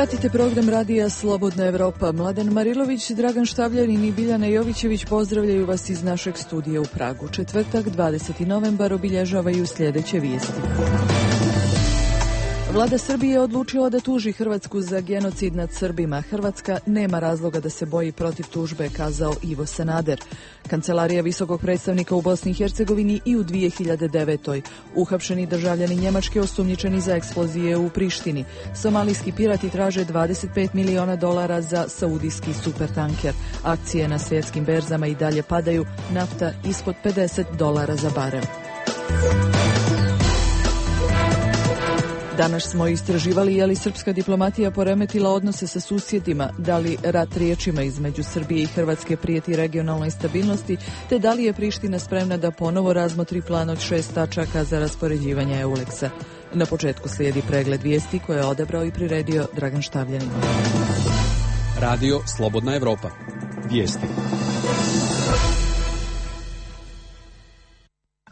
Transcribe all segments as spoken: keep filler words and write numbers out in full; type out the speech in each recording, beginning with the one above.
Pratite program radija Slobodna Evropa. Mladen Marilović, Dragan Štavljanin i Biljana Jovićević pozdravljaju vas iz našeg studija u Pragu. Četvrtak, dvadeseti novembar, obilježavaju sljedeće vijesti. Vlada Srbije je odlučila da tuži Hrvatsku za genocid nad Srbima. Hrvatska nema razloga da se boji protiv tužbe, kazao Ivo Sanader. Kancelarija visokog predstavnika u Bosni i Hercegovini i u dvije hiljade devetoj. Uhapšeni državljani Njemačke osumnjičeni za eksplozije u Prištini. Somalijski pirati traže dvadeset pet miliona dolara za saudijski supertanker. Akcije na svjetskim berzama i dalje padaju, nafta ispod pedeset dolara za barel. Danas smo istraživali je li srpska diplomatija poremetila odnose sa susjedima, da li rat riječima između Srbije i Hrvatske prijeti regionalnoj stabilnosti, te da li je Priština spremna da ponovo razmotri plan od šest tačaka za raspoređivanje Euleksa. Na početku slijedi pregled vijesti koje je odabrao i priredio Dragan Štavljanin. Radio Slobodna Evropa. Vijesti.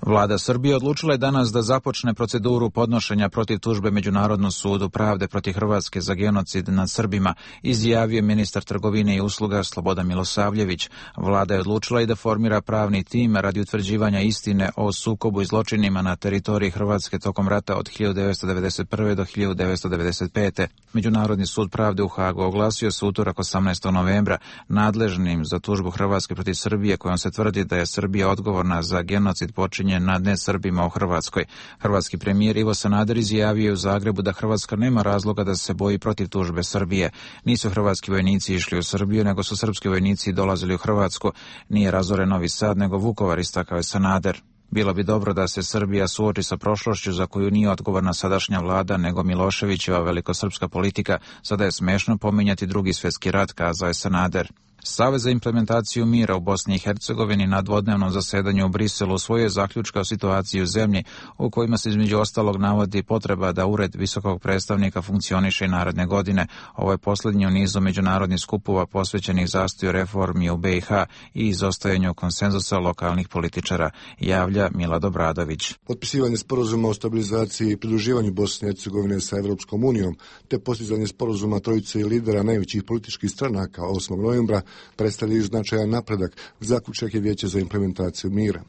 Vlada Srbije odlučila je danas da započne proceduru podnošenja protiv tužbe Međunarodnom sudu pravde protiv Hrvatske za genocid nad Srbima, izjavio ministar trgovine i usluga Slobodan Milosavljević. Vlada je odlučila i da formira pravni tim radi utvrđivanja istine o sukobu i zločinima na teritoriji Hrvatske tokom rata od hiljadu devetsto devedeset prve. do hiljadu devetsto devedeset pete. Međunarodni sud pravde u Hagu oglasio se utorak osamnaestog novembra nadležnim za tužbu Hrvatske protiv Srbije, kojom se tvrdi da je Srbija odgovorna za genocid počinjen nad nesrbima u Hrvatskoj. Hrvatski premijer Ivo Sanader izjavio u Zagrebu da Hrvatska nema razloga da se boji protiv tužbe Srbije. Nisu hrvatski vojnici išli u Srbiju, nego su srpski vojnici dolazili u Hrvatsku. Nije razoren Novi Sad, nego Vukovar, istakao je Sanader. Bilo bi dobro da se Srbija suoči sa prošlošću za koju nije odgovorna sadašnja vlada, nego Miloševićeva velikosrpska politika. Sada je smešno pominjati drugi svjetski rat, kazao je Sanader. Savez za implementaciju mira u Bosni i Hercegovini na dvodnevnom zasedanju u Briselu usvojio zaključka o situaciji u zemlji, u kojima se između ostalog navodi potreba da ured visokog predstavnika funkcioniše i naredne godine. Ovo je posljednji u nizu međunarodnih skupova posvećenih zastoju reformi u B i H i izostajanju konsenzusa lokalnih političara, javlja Milad Obradović. Potpisivanje sporazuma o stabilizaciji i pridruživanju Bosne i Hercegovine sa Evropskom unijom, te postizanje sporazuma trojice lidera najvećih političkih stranaka osmog novembra predstavljaju značajan napredak, zaključak je Vijeće za implementaciju mira.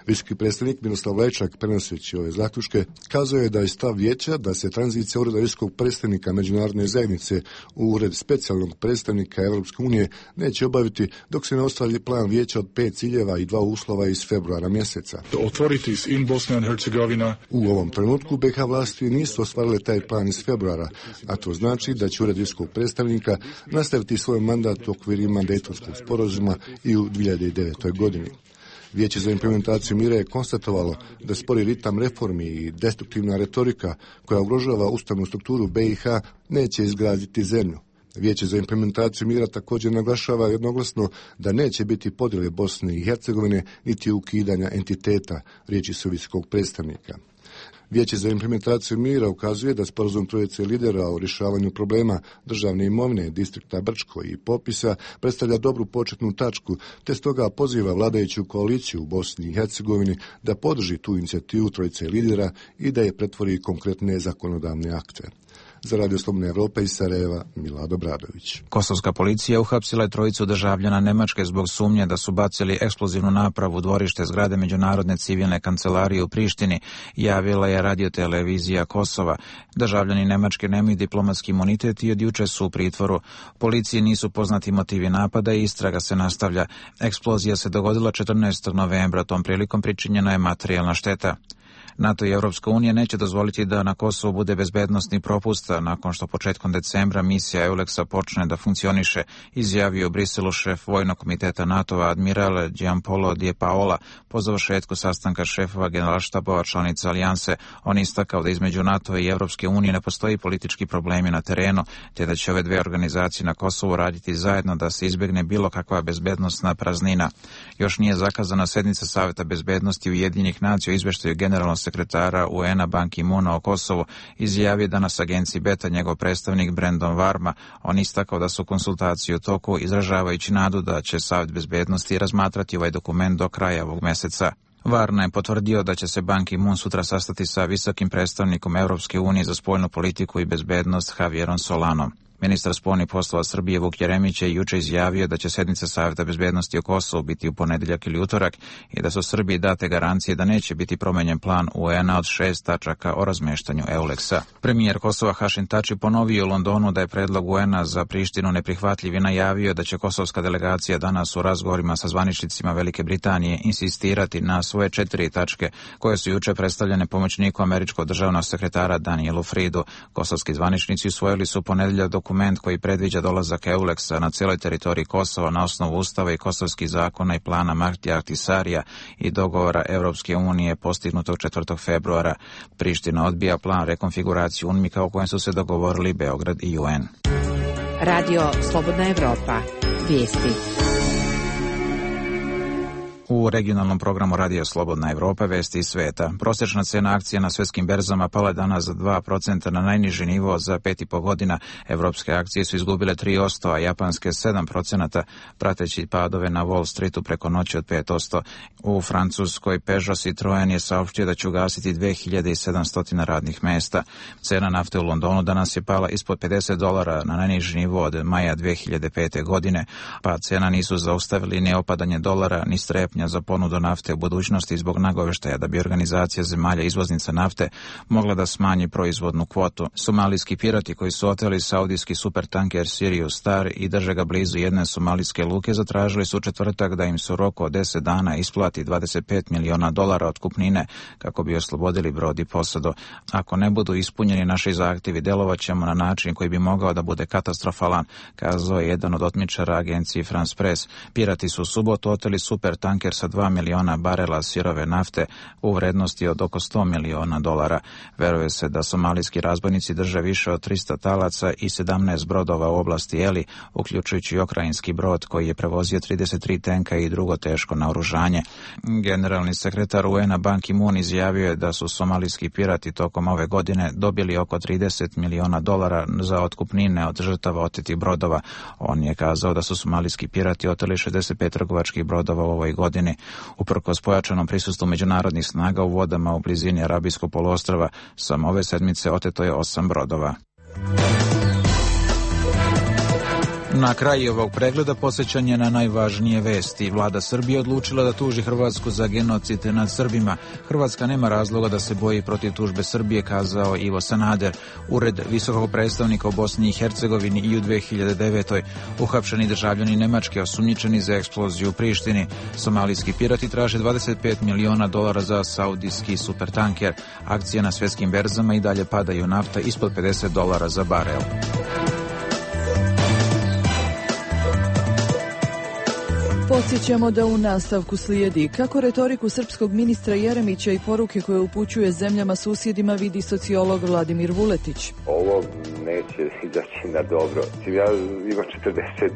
Visoki predstavnik Miroslav Lajčak, prenoseći ove zaključke, kazao je da je stav Vijeća da se tranzicija ureda visokog predstavnika međunarodne zajednice u ured specijalnog predstavnika Evropske unije neće obaviti dok se ne ostvari plan Vijeća od pet ciljeva i dva uslova iz februara mjeseca. U ovom trenutku B i H vlasti nisu ostvarile taj plan iz februara, a to znači da će ured visokog predstavnika nastaviti svoj mandat u okvirima Dejtonskog sporazuma i u dvije hiljade devetoj. godini. Vijeće za implementaciju mira je konstatovalo da spori ritam reformi i destruktivna retorika koja ugrožava ustavnu strukturu B i H neće izgraditi zemlju. Vijeće za implementaciju mira također naglašava jednoglasno da neće biti podjele Bosne i Hercegovine niti ukidanja entiteta, riječi su visokog predstavnika. Vijeće za implementaciju mira ukazuje da sporazum trojice lidera o rješavanju problema državne imovine, distrikta Brčko i popisa predstavlja dobru početnu tačku, te stoga poziva vladajuću koaliciju u Bosni i Hercegovini da podrži tu inicijativu trojice lidera i da je pretvori konkretne zakonodavne akte. Za Radio Slobodna Evropa iz Sarajeva, Milad Obradović. Kosovska policija uhapsila je trojicu državljana Nemačke zbog sumnje da su bacili eksplozivnu napravu u dvorište zgrade Međunarodne civilne kancelarije u Prištini, javila je radiotelevizija Kosova. Državljani Nemačke nemaju diplomatski imunitet i od juče su u pritvoru. Policiji nisu poznati motivi napada i istraga se nastavlja. Eksplozija se dogodila četrnaestog novembra, tom prilikom pričinjena je materijalna šteta. NATO i Europska unija neće dozvoliti da na Kosovu bude bezbednosni propust nakon što početkom decembra misija Euleksa počne da funkcioniše, izjavio u Briselu šef Vojnog komiteta NATO-a admiral Gianpaolo Di Paola po završetku sastanka šefova generalštabova članica alijanse. On istakao da između NATO i Europske unije ne postoji politički problemi na terenu, te da će ove dve organizacije na Kosovu raditi zajedno da se izbjegne bilo kakva bezbednosna praznina. Još nije zakazana sednica Saveta bezbednosti Ujedinjenih nacija o izveštaju generalnog sekretara U N-a Ban Ki-moona o Kosovu, izjavio danas agenciji Beta njegov predstavnik Brandon Varma. On istakao da su konsultacije u toku, izražavajući nadu da će Savet bezbednosti razmatrati ovaj dokument do kraja ovog mjeseca. Varna je potvrdio da će se Ban Ki-moon sutra sastati sa visokim predstavnikom Europske unije za spoljnu politiku i bezbednost Javierom Solanom. Ministar spoljnih poslova Srbije Vuk Jeremić je juče izjavio da će sednica Savjeta bezbednosti o Kosovu biti u ponedjeljak ili utorak i da su Srbiji date garancije da neće biti promenjen plan U N A od šest tačaka o razmeštanju EULEX-a. Premijer Kosova Hašim Tači ponovio u Londonu da je predlog U N A za Prištinu neprihvatljiv i najavio da će kosovska delegacija danas u razgovorima sa zvaničnicima Velike Britanije insistirati na svoje četiri tačke koje su juče predstavljene pomoćniku američkog državnog sekretara Danielu Fridu. Kosovski zvaničnici usvojili su ponedjeljak dokument koji predviđa dolazak EULEX-a na cijeloj teritoriji Kosova na osnovu ustava i kosovskih zakona i plana Martija Ahtisarija i dogovora Europske unije postignutog četvrtog februara. Priština odbija plan rekonfiguracije UNMIK-a o kojem su se dogovorili Beograd i U N. Radio Slobodna Evropa. Vijesti. U regionalnom programu Radio Slobodna Evropa vesti iz sveta. Prosječna cena akcija na svjetskim berzama pala je danas za dva procenta na najniži nivo za pet i po godina. Evropske akcije su izgubile tri posto, a japanske sedam procenta, prateći padove na Wall Streetu preko noći od pet posto. U Francuskoj Peugeot Citroen je saopštio da će ugasiti dve hiljade sedamsto radnih mesta. Cena nafte u Londonu danas je pala ispod pedeset dolara na najniži nivo od maja dve hiljade pete. godine. Pa cena nisu zaustavili ni opadanje dolara, ni strepnja za ponudu nafte u budućnosti zbog nagoveštaja da bi organizacija zemalja izvoznica nafte mogla da smanji proizvodnu kvotu. Somalijski pirati koji su oteli saudijski supertanker Sirius Star i drže ga blizu jedne somalijske luke zatražili su u četvrtak da im se u roku od deset dana isplati dvadeset pet miliona dolara otkupnine kako bi oslobodili brod i posadu. Ako ne budu ispunjeni naši zahtjevi, delovaćemo na način koji bi mogao da bude katastrofalan, kazao je jedan od otmičara agenciji France Press. Pirati su u subotu oteli supertanker sa dva miliona barela sirove nafte u vrednosti od oko sto miliona dolara. Veruje se da somalijski razbojnici drže više od trista talaca i sedamnaest brodova u oblasti Eli, uključujući ukrajinski brod koji je prevozio trideset tri tenka i drugo teško naoružanje. Generalni sekretar U N-a Ban Ki-moon izjavio je da su somalijski pirati tokom ove godine dobili oko trideset miliona dolara za otkupnine od žrtava otetih brodova. On je kazao da su somalijski pirati oteli šezdeset pet trgovačkih brodova u ovoj godini. Uprkos pojačanom prisustvu međunarodnih snaga u vodama u blizini Arabijskog poluostrva, samo ove sedmice oteto je osam brodova. Na kraju ovog pregleda posjećanje na najvažnije vesti. Vlada Srbije odlučila da tuži Hrvatsku za genocid nad Srbima. Hrvatska nema razloga da se boji protiv tužbe Srbije, kazao Ivo Sanader. Ured visokog predstavnika u Bosni i Hercegovini i u dve hiljade devetoj. Uhapšeni državljani Nemačke osumnjičeni za eksploziju u Prištini. Somalijski pirati traže dvadeset pet miliona dolara za saudijski supertanker. Akcije na svjetskim berzama i dalje padaju, nafta ispod pedeset dolara za barel. Podsjećamo da u nastavku slijedi kako retoriku srpskog ministra Jeremića i poruke koje upućuje zemljama susjedima vidi sociolog Vladimir Vuletić. Ovo neće izaći na dobro. Ja imam četrdeset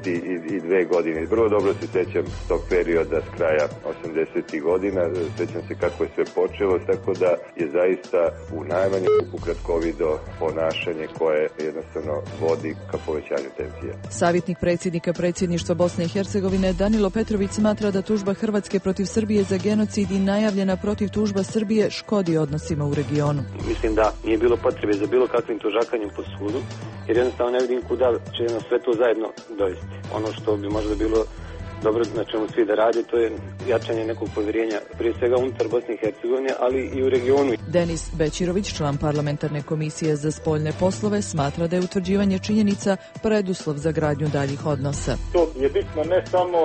dvije godine. Vrlo dobro se sjećam tog perioda s kraja osamdesetih godina. Sjećam se kako je sve počelo, tako da je zaista u najmanju ruku kratkovido ponašanje koje jednostavno vodi ka povećanju tenzije. Savjetnik predsjednika predsjedništva Bosne i Hercegovine Danilo Petrović smatra da tužba Hrvatske protiv Srbije za genocid i najavljena protiv tužba Srbije škodi odnosima u regionu. Mislim da nije bilo potrebe za bilo kakvim tužakanjem po sudu, jer jednostavno ne vidim kuda će nas sve to zajedno dovesti. Ono što bi možda bilo dobro na čemu svi da radi, to je jačanje nekog povjerenja, prije svega unutar Bosne i Hercegovine, ali i u regionu. Denis Bećirović, član parlamentarne komisije za spoljne poslove, smatra da je utvrđivanje činjenica preduslov za gradnju daljih odnosa. To je bitno ne samo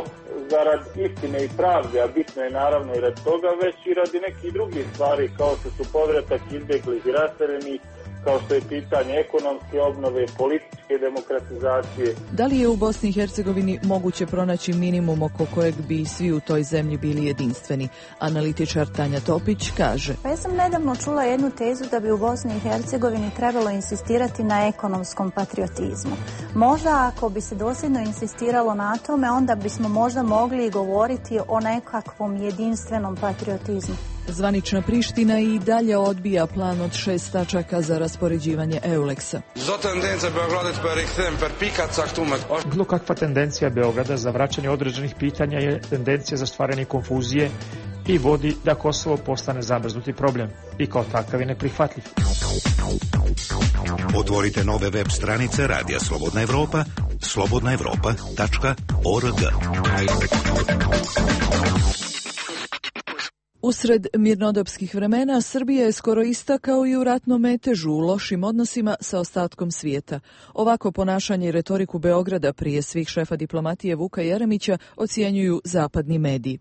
zarad istine i pravde, a bitno je naravno i rad toga, već i radi nekih drugih stvari, kao što su povratak izbjeglih i raseljenih, kao što je pitanje ekonomske obnove, političke demokratizacije. Da li je u Bosni i Hercegovini moguće pronaći minimum oko kojeg bi svi u toj zemlji bili jedinstveni? Analitičar Tanja Topić kaže: Pa ja sam nedavno čula jednu tezu da bi u Bosni i Hercegovini trebalo insistirati na ekonomskom patriotizmu. Možda ako bi se dosljedno insistiralo na tome, onda bismo možda mogli govoriti o nekakvom jedinstvenom patriotizmu. Zvanična Priština i dalje odbija plan od šest tačaka za raspoređivanje EULEX-a. Bilo kakva tendencija Beograda za vraćanje određenih pitanja je tendencija za stvaranje konfuzije i vodi da Kosovo postane zamrznuti problem i kao takav je neprihvatljiv. Otvorite nove web stranice Radija Slobodna Evropa, slobodna evropa tačka org. Usred mirnodopskih vremena Srbija je skoro ista kao i u ratnom metežu u lošim odnosima sa ostatkom svijeta. Ovako ponašanje i retoriku Beograda prije svih šefa diplomatije Vuka Jeremića ocjenjuju zapadni mediji.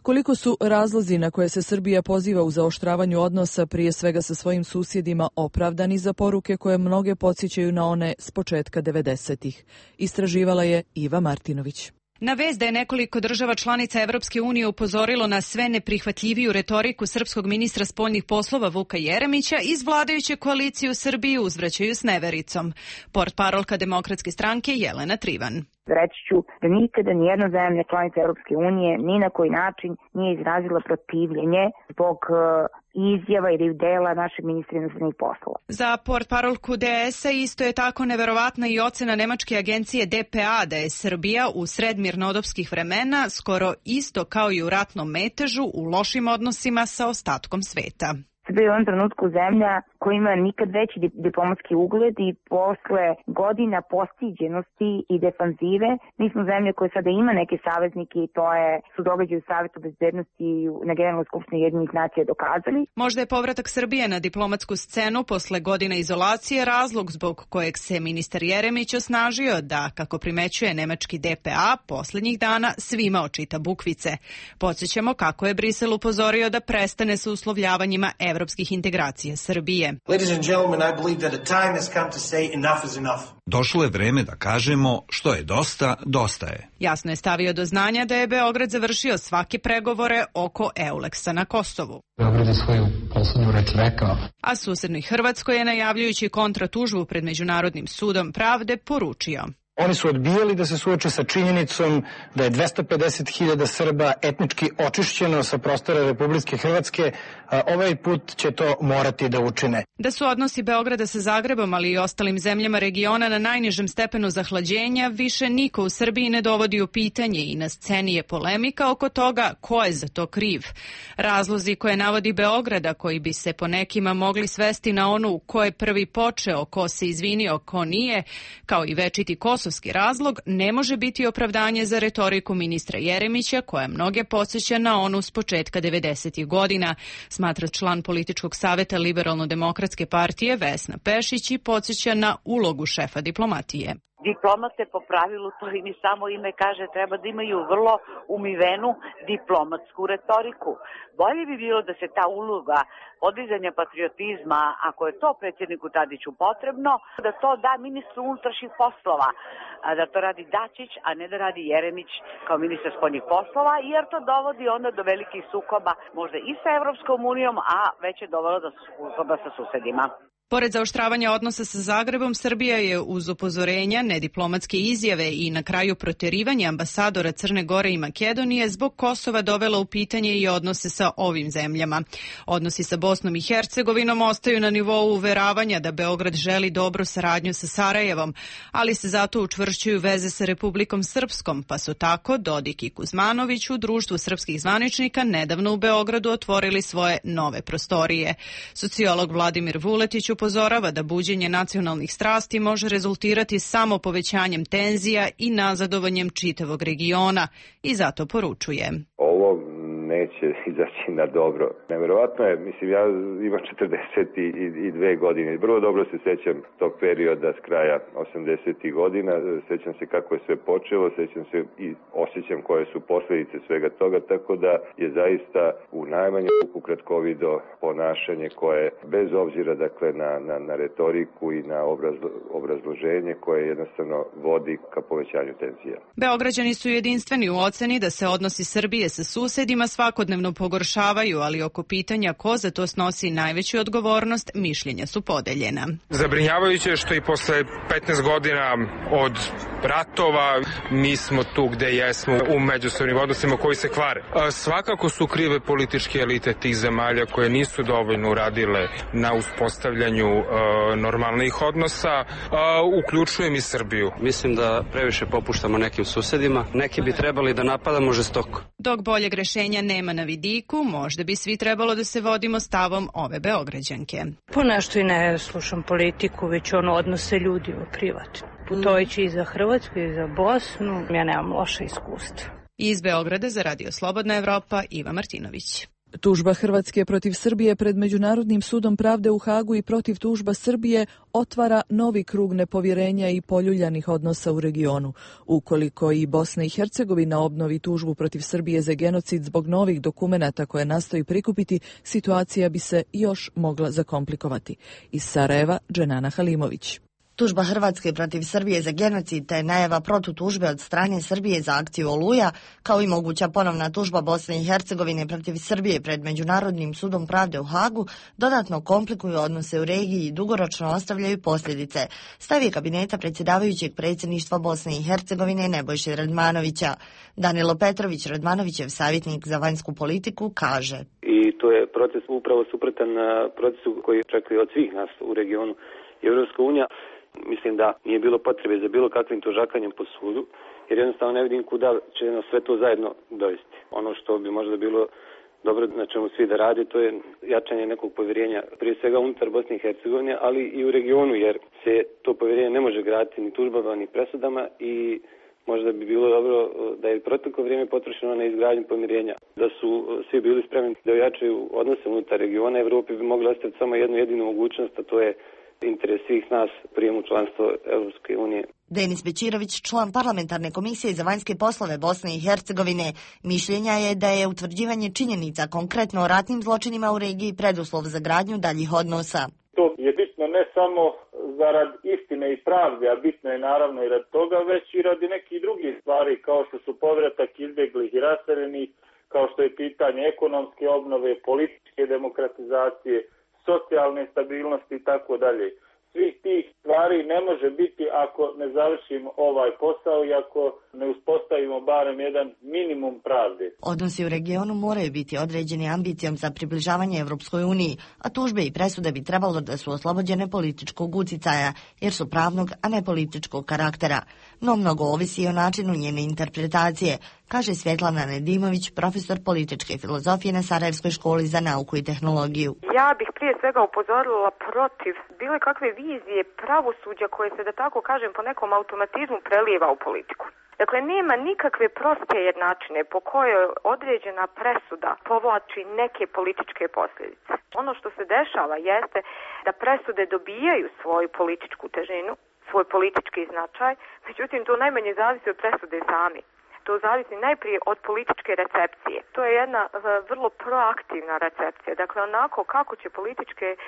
Koliko su razlozi na koje se Srbija poziva u zaoštravanju odnosa prije svega sa svojim susjedima opravdani za poruke koje mnoge podsjećaju na one s početka devedesetih? Istraživala je Iva Martinović. Na vest da je nekoliko država članica Evropske unije upozorilo na sve neprihvatljiviju retoriku srpskog ministra spoljnih poslova Vuka Jeremića, iz vladajuće koalicije u Srbiji uzvraćaju s nevericom. Portparolka Demokratske stranke Jelena Trivan. Reći ću da nikada nijedna zemlja članica Europske unije ni na koji način nije izrazila protivljenje zbog izjava ili dela našeg ministra inostranih poslova. Za portparolku D S-a isto je tako neverovatna i ocena nemačke agencije D P A da je Srbija u sred mirnodopskih vremena skoro isto kao i u ratnom metežu u lošim odnosima sa ostatkom sveta. Srbija je u ovom trenutku zemlja koja ima nikad veći diplomatski ugled i posle godina postiđenosti i defanzive, mi smo zemlja koja sada ima neke saveznike i to je, su događaji u Savetu bezbednosti na Generalnoj skupštini Ujedinjenih nacija dokazali. Možda je povratak Srbije na diplomatsku scenu posle godina izolacije razlog zbog kojeg se ministar Jeremić osnažio da, kako primećuje nemački D P A, posljednjih dana svima očita bukvice. Podsjećamo kako je Brisel upozorio da prestane sa uslovljavanjima evropskih integracija Srbije. Ladies and gentlemen, I believe that a time has come to say enough is enough. Došlo je vreme da kažemo što je dosta, dosta je. Jasno je stavio do znanja da je Beograd završio svake pregovore oko Euleksa na Kosovu. Beograd je svoju poslednju reč rekao. A susednoj Hrvatskoj je, najavljujući kontratužbu pred Međunarodnim sudom pravde, poručio: Oni su odbijali da se suoče sa činjenicom da je dvesta pedeset hiljada Srba etnički očišćeno sa prostora Republike Hrvatske, a ovaj put će to morati da učine. Da su odnosi Beograda sa Zagrebom, ali i ostalim zemljama regiona na najnižem stepenu zahlađenja, više niko u Srbiji ne dovodi u pitanje i na sceni je polemika oko toga ko je za to kriv. Razlozi koje navodi Beograda, koji bi se po nekima mogli svesti na onu ko je prvi počeo, ko se izvinio, ko nije, kao i večiti kosovski razlog, ne može biti opravdanje za retoriku ministra Jeremića, koja mnoge podsjeća na onu s početka devedesetih godina, smatra član političkog saveta Liberalno-demokratske partije Vesna Pešić i podsjeća na ulogu šefa diplomatije. Diplomate po pravilu, to im i samo ime kaže, treba da imaju vrlo umivenu diplomatsku retoriku. Bolje bi bilo da se ta uloga podizanja patriotizma, ako je to predsjedniku Tadiću potrebno, da to da ministru unutrašnjih poslova, da to radi Dačić, a ne da radi Jeremić kao ministar spoljnih poslova, jer to dovodi onda do velikih sukoba, možda i sa Evropskom unijom, a već je dovelo do sukoba sa susedima. Pored zaoštravanja odnosa sa Zagrebom, Srbija je uz upozorenja, nediplomatske izjave i na kraju proterivanja ambasadora Crne Gore i Makedonije zbog Kosova dovela u pitanje i odnose sa ovim zemljama. Odnosi sa Bosnom i Hercegovinom ostaju na nivou uveravanja da Beograd želi dobru saradnju sa Sarajevom, ali se zato učvršćuju veze sa Republikom Srpskom, pa su tako Dodik i Kuzmanović u društvu srpskih zvaničnika nedavno u Beogradu otvorili svoje nove prostorije. Sociolog Vladimir Vuletić upozorava da buđenje nacionalnih strasti može rezultirati samo povećanjem tenzija i nazadovanjem čitavog regiona i zato poručuje: Ovo neće izaći na dobro. Neverovatno je, mislim, ja imam četrdeset dve godine. Vrlo dobro se sjećam tog perioda s kraja osamdesetih godina. Sjećam se kako je sve počelo, sjećam se i osjećam koje su posljedice svega toga, tako da je zaista u najmanju ruku kratkovido ponašanje koje, bez obzira dakle na, na, na retoriku i na obrazlo, obrazloženje, koje jednostavno vodi ka povećanju tenzija. Beograđani su jedinstveni u oceni da se odnosi Srbije sa susedima svakodnevno pogoršavaju, ali oko pitanja ko za to snosi najveću odgovornost, mišljenja su podeljena. Zabrinjavajuće je što i posle petnaest godina od ratova mi smo tu gde jesmo u međusobnim odnosima koji se kvare. Svakako su krive političke elite tih zemalja koje nisu dovoljno uradile na uspostavljanju uh, normalnih odnosa, uh, uključujem i Srbiju. Mislim da previše popuštamo nekim susedima, neki bi trebali da napadamo žestoko. Dok boljeg rešenja nema. nema na vidiku, možda bi svi trebalo da se vodimo stavom ove Beograđanke. Ponešto i ne slušam politiku, već ono odnose ljudi u privatno. Putojući i za Hrvatsku i za Bosnu, ja nemam loše iskustva. Iz Beograda za Radio Slobodna Evropa, Iva Martinović. Tužba Hrvatske protiv Srbije pred Međunarodnim sudom pravde u Hagu i protiv tužba Srbije otvara novi krug nepovjerenja i poljuljanih odnosa u regionu. Ukoliko i Bosna i Hercegovina obnovi tužbu protiv Srbije za genocid zbog novih dokumenata koje nastoji prikupiti, situacija bi se još mogla zakomplikovati. Iz Sarajeva, Dženana Halimović. Tužba Hrvatske protiv Srbije za genocid te najava protutužbe od strane Srbije za akciju Oluja, kao i moguća ponovna tužba Bosne i Hercegovine protiv Srbije pred Međunarodnim sudom pravde u Hagu, dodatno komplikuju odnose u regiji i dugoročno ostavljaju posljedice. Stav je kabineta predsjedavajućeg predsjedništva Bosne i Hercegovine Nebojše Radmanovića. Danilo Petrović, Radmanovićev savjetnik za vanjsku politiku, kaže: I to je proces upravo suprotan procesu koji očekuje od svih nas u regionu. Evropska unija, mislim da nije bilo potrebe za bilo kakvim tužakanjem po sudu, jer jednostavno ne vidim kuda će nas sve to zajedno dovesti. Ono što bi možda bilo dobro na čemu svi da radi, to je jačanje nekog povjerenja, prije svega unutar Bosne i Hercegovine, ali i u regionu, jer se to povjerenje ne može graditi ni tužbama ni presudama i možda bi bilo dobro da je proteklo vrijeme potrošeno na izgradnju pomirenja, da su svi bili spremni da ojačaju odnose unutar regiona. Evropi bi mogli ostaviti samo jednu jedinu mogućnost, a to je interes svih nas prijemu članstva Evropske unije. Denis Bećirović, član parlamentarne komisije za vanjske poslove Bosne i Hercegovine, mišljenja je da je utvrđivanje činjenica konkretno o ratnim zločinima u regiji preduslov za gradnju daljih odnosa. To je bitno ne samo zarad istine i pravde, a bitno je naravno i rad toga, već i radi nekih drugih stvari kao što su povratak izbjeglih i raseljenih, kao što je pitanje ekonomske obnove, političke demokratizacije, socijalne stabilnosti i tako dalje. Svih tih stvari ne može biti ako ne završimo ovaj posao i ako ne uspostavimo barem jedan minimum pravde. Odnosi u regionu moraju biti određeni ambicijom za približavanje Evropskoj uniji, a tužbe i presude bi trebalo da su oslobođene političkog uticaja, jer su pravnog, a ne političkog karaktera. No mnogo ovisi i o načinu njene interpretacije, kaže Svjetlana Nedimović, profesor političke filozofije na Sarajevskoj školi za nauku i tehnologiju. Ja bih prije svega upozorila protiv bile kakve vizije pravosuđa koje se, da tako kažem, po nekom automatizmu prelijeva u politiku. Dakle, nema nikakve proste jednačine po kojoj određena presuda povlači neke političke posljedice. Ono što se dešava jeste da presude dobijaju svoju političku težinu, svoj politički značaj, međutim to najmanje zavisi od presude sami. To zavisi najprije od političke recepcije. To je jedna uh, vrlo proaktivna recepcija. Dakle, onako kako će političke uh,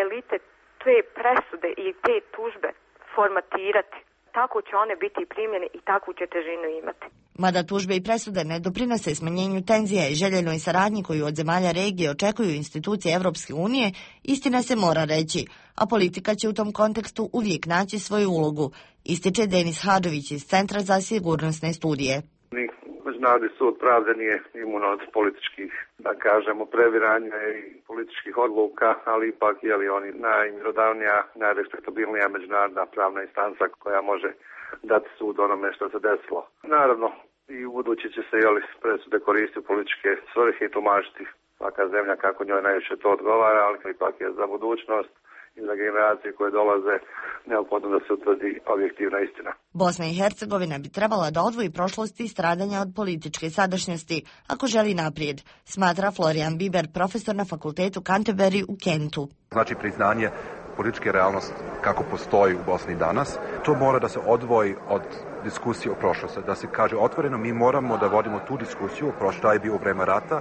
elite te presude i te tužbe formatirati, tako će one biti primljene i takvu će težinu imati. Mada tužbe i presude ne doprinose smanjenju tenzija i željenoj saradnji koju od zemalja regije očekuju institucije Evropske unije, istina se mora reći, a politika će u tom kontekstu uvijek naći svoju ulogu, ističe Denis Hadžović iz Centra za sigurnosne studije. Međunarodni sud pravde nije imun od političkih, da kažemo, previranja i političkih odluka, ali ipak je li oni najmjerodavnija, najrespektabilnija međunarodna pravna instanca koja može dati sud onome što se desilo. Naravno, i u budući će se jeli presude koristiti u političke svrhe i tumačiti svaka zemlja kako njoj najviše to odgovara, ali ipak je za budućnost i za generacije koje dolaze neophodno da se utvrdi objektivna istina. Bosna i Hercegovina bi trebala da odvoji prošlosti i stradanja od političke sadašnjosti, ako želi naprijed, smatra Florian Biber, profesor na fakultetu Canterbury u Kentu. Znači priznanje političke realnosti kako postoji u Bosni danas, to mora da se odvoji od diskusije o prošlosti, da se kaže otvoreno mi moramo da vodimo tu diskusiju o prošlosti, šta je bio u vreme rata,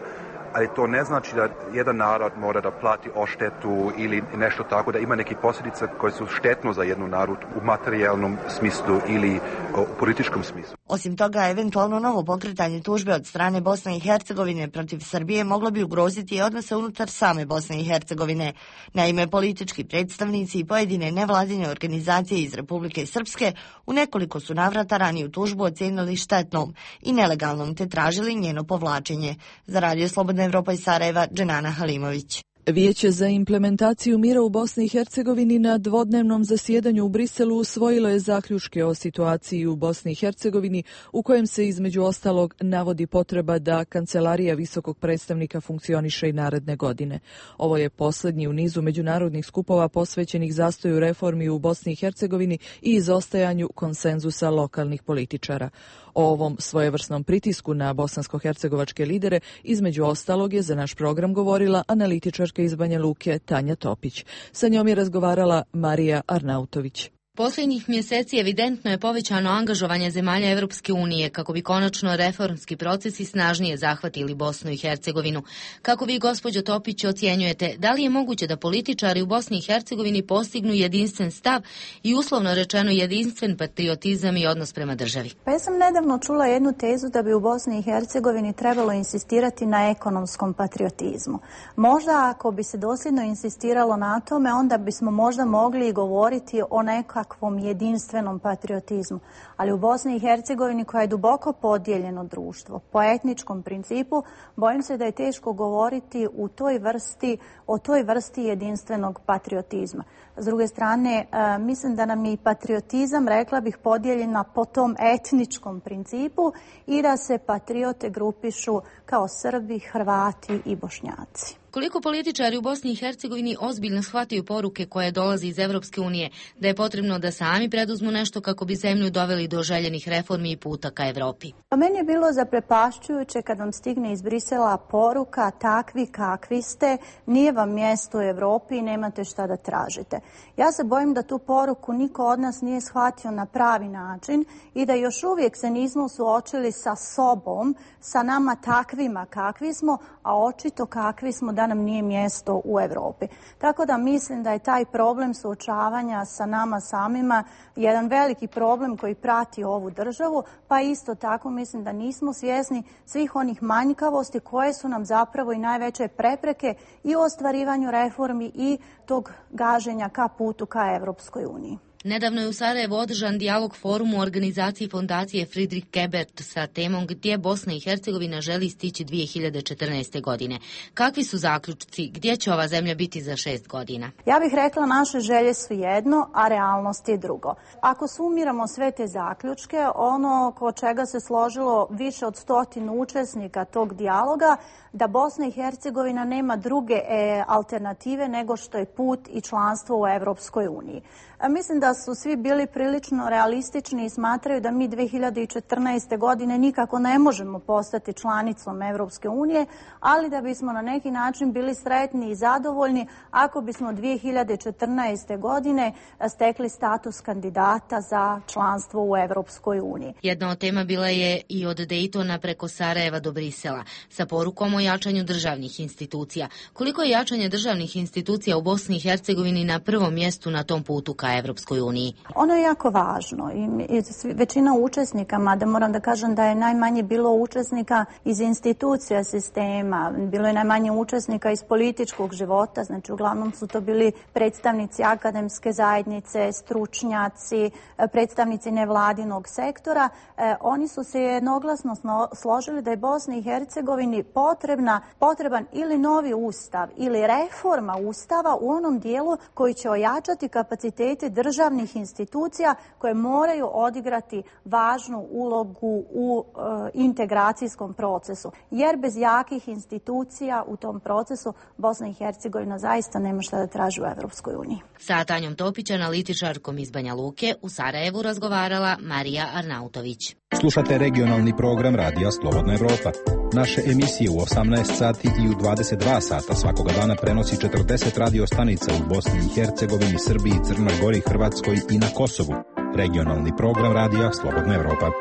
ali to ne znači da jedan narod mora da plati odštetu ili nešto tako, da ima neke posljedice koje su štetno za jednu narod u materijalnom smislu ili u političkom smislu. Osim toga, eventualno novo pokretanje tužbe od strane Bosne i Hercegovine protiv Srbije moglo bi ugroziti i odnose unutar same Bosne i Hercegovine. Naime, politički predstavnici i pojedine nevladine organizacije iz Republike Srpske u nekoliko su navrata raniju tužbu ocijenili štetnom i nelegalnom te tražili njeno povlačenje. Za Radio Slobodna Evropa iz Sarajeva, Dženana Halimović. Vijeće za implementaciju mira u Bosni i Hercegovini na dvodnevnom zasjedanju u Briselu usvojilo je zaključke o situaciji u Bosni i Hercegovini u kojem se između ostalog navodi potreba da Kancelarija visokog predstavnika funkcioniše i naredne godine. Ovo je posljednji u nizu međunarodnih skupova posvećenih zastoju reformi u Bosni i Hercegovini i izostajanju konsenzusa lokalnih političara. O ovom svojevrsnom pritisku na bosansko-hercegovačke lidere između ostalog je za naš program govorila analitičarka iz Banja Luke Tanja Topić. Sa njom je razgovarala Marija Arnautović. Posljednjih mjeseci evidentno je povećano angažovanje zemalja Europske unije kako bi konačno reformski procesi snažnije zahvatili Bosnu i Hercegovinu. Kako vi, gospođo Topić, ocjenjujete, da li je moguće da političari u Bosni i Hercegovini postignu jedinstven stav i uslovno rečeno jedinstven patriotizam i odnos prema državi? Pa ja sam nedavno čula jednu tezu da bi u Bosni i Hercegovini trebalo insistirati na ekonomskom patriotizmu. Možda ako bi se dosljedno insistiralo na tome, onda bismo možda mogli govoriti o nekakvom jedinstvenom patriotizmu. Ali u Bosni i Hercegovini, koja je duboko podijeljeno društvo, po etničkom principu, bojim se da je teško govoriti u toj vrsti, o toj vrsti jedinstvenog patriotizma. S druge strane, mislim da nam je i patriotizam, rekla bih, podijeljena po tom etničkom principu i da se patriote grupišu kao Srbi, Hrvati i Bošnjaci. Koliko političari u Bosni i Hercegovini ozbiljno shvataju poruke koje dolaze iz Evropske unije, da je potrebno da sami preduzmu nešto kako bi zemlju doveli do željenih reformi i puta ka Evropi? Pa meni je bilo zaprepašćujuće kad vam stigne iz Brisela poruka takvi kakvi ste, nije vam mjesto u Evropi i nemate šta da tražite. Ja se bojim da tu poruku niko od nas nije shvatio na pravi način i da još uvijek se nismo suočili sa sobom, sa nama takvima kakvi smo, a očito kakvi smo da nam nije mjesto u Europi. Tako da mislim da je taj problem suočavanja sa nama samima jedan veliki problem koji prati ovu državu, pa isto tako mislim da nismo svjesni svih onih manjkavosti koje su nam zapravo i najveće prepreke i u ostvarivanju reformi i tog gaženja ka putu ka Europskoj uniji. Nedavno je u Sarajevu održan dijalog forum u organizaciji fondacije Friedrich Ebert sa temom gdje Bosna i Hercegovina želi stići dvije hiljade četrnaeste. godine. Kakvi su zaključci? Gdje će ova zemlja biti za šest godina? Ja bih rekla naše želje su jedno, a realnost je drugo. Ako sumiramo sve te zaključke, ono ko čega se složilo više od stotinu učesnika tog dijaloga, da Bosna i Hercegovina nema druge e, alternative nego što je put i članstvo u Europskoj uniji. Mislim da su svi bili prilično realistični i smatraju da mi dvije hiljade četrnaeste. godine nikako ne možemo postati članicom Europske unije, ali da bismo na neki način bili sretni i zadovoljni ako bismo dvije hiljade četrnaeste. godine stekli status kandidata za članstvo u Europskoj uniji. Jedna od tema bila je i od Dejtona preko Sarajeva do Brisela, sa porukom o jačanju državnih institucija. Koliko je jačanje državnih institucija u Bosni i Hercegovini na prvom mjestu na tom putu ka Evropskoj uniji? Ono je jako važno i, i većina učesnika, mada moram da kažem da je najmanje bilo učesnika iz institucija sistema, bilo je najmanje učesnika iz političkog života, znači uglavnom su to bili predstavnici akademske zajednice, stručnjaci, predstavnici nevladinog sektora. E, oni su se jednoglasno složili da je Bosni i Hercegovini potrebna, potreban ili novi ustav ili reforma ustava u onom dijelu koji će ojačati kapacitete državnih institucija koje moraju odigrati važnu ulogu u e, integracijskom procesu. Jer bez jakih institucija u tom procesu Bosna i Hercegovina zaista nema šta da traži u Evropskoj uniji. Sa Tanjom Topić, analitičarkom iz Banja Luke, u Sarajevu razgovarala Marija Arnautović. Slušate regionalni program Radija Slobodna Evropa. Naše emisije u osamnaest sati i u dvadeset dva sata svakoga dana prenosi četrdeset radio stanica u Bosni i Hercegovini, Srbiji, Crnoj Gori, Hrvatskoj i na Kosovu. Regionalni program Radija Slobodna Evropa.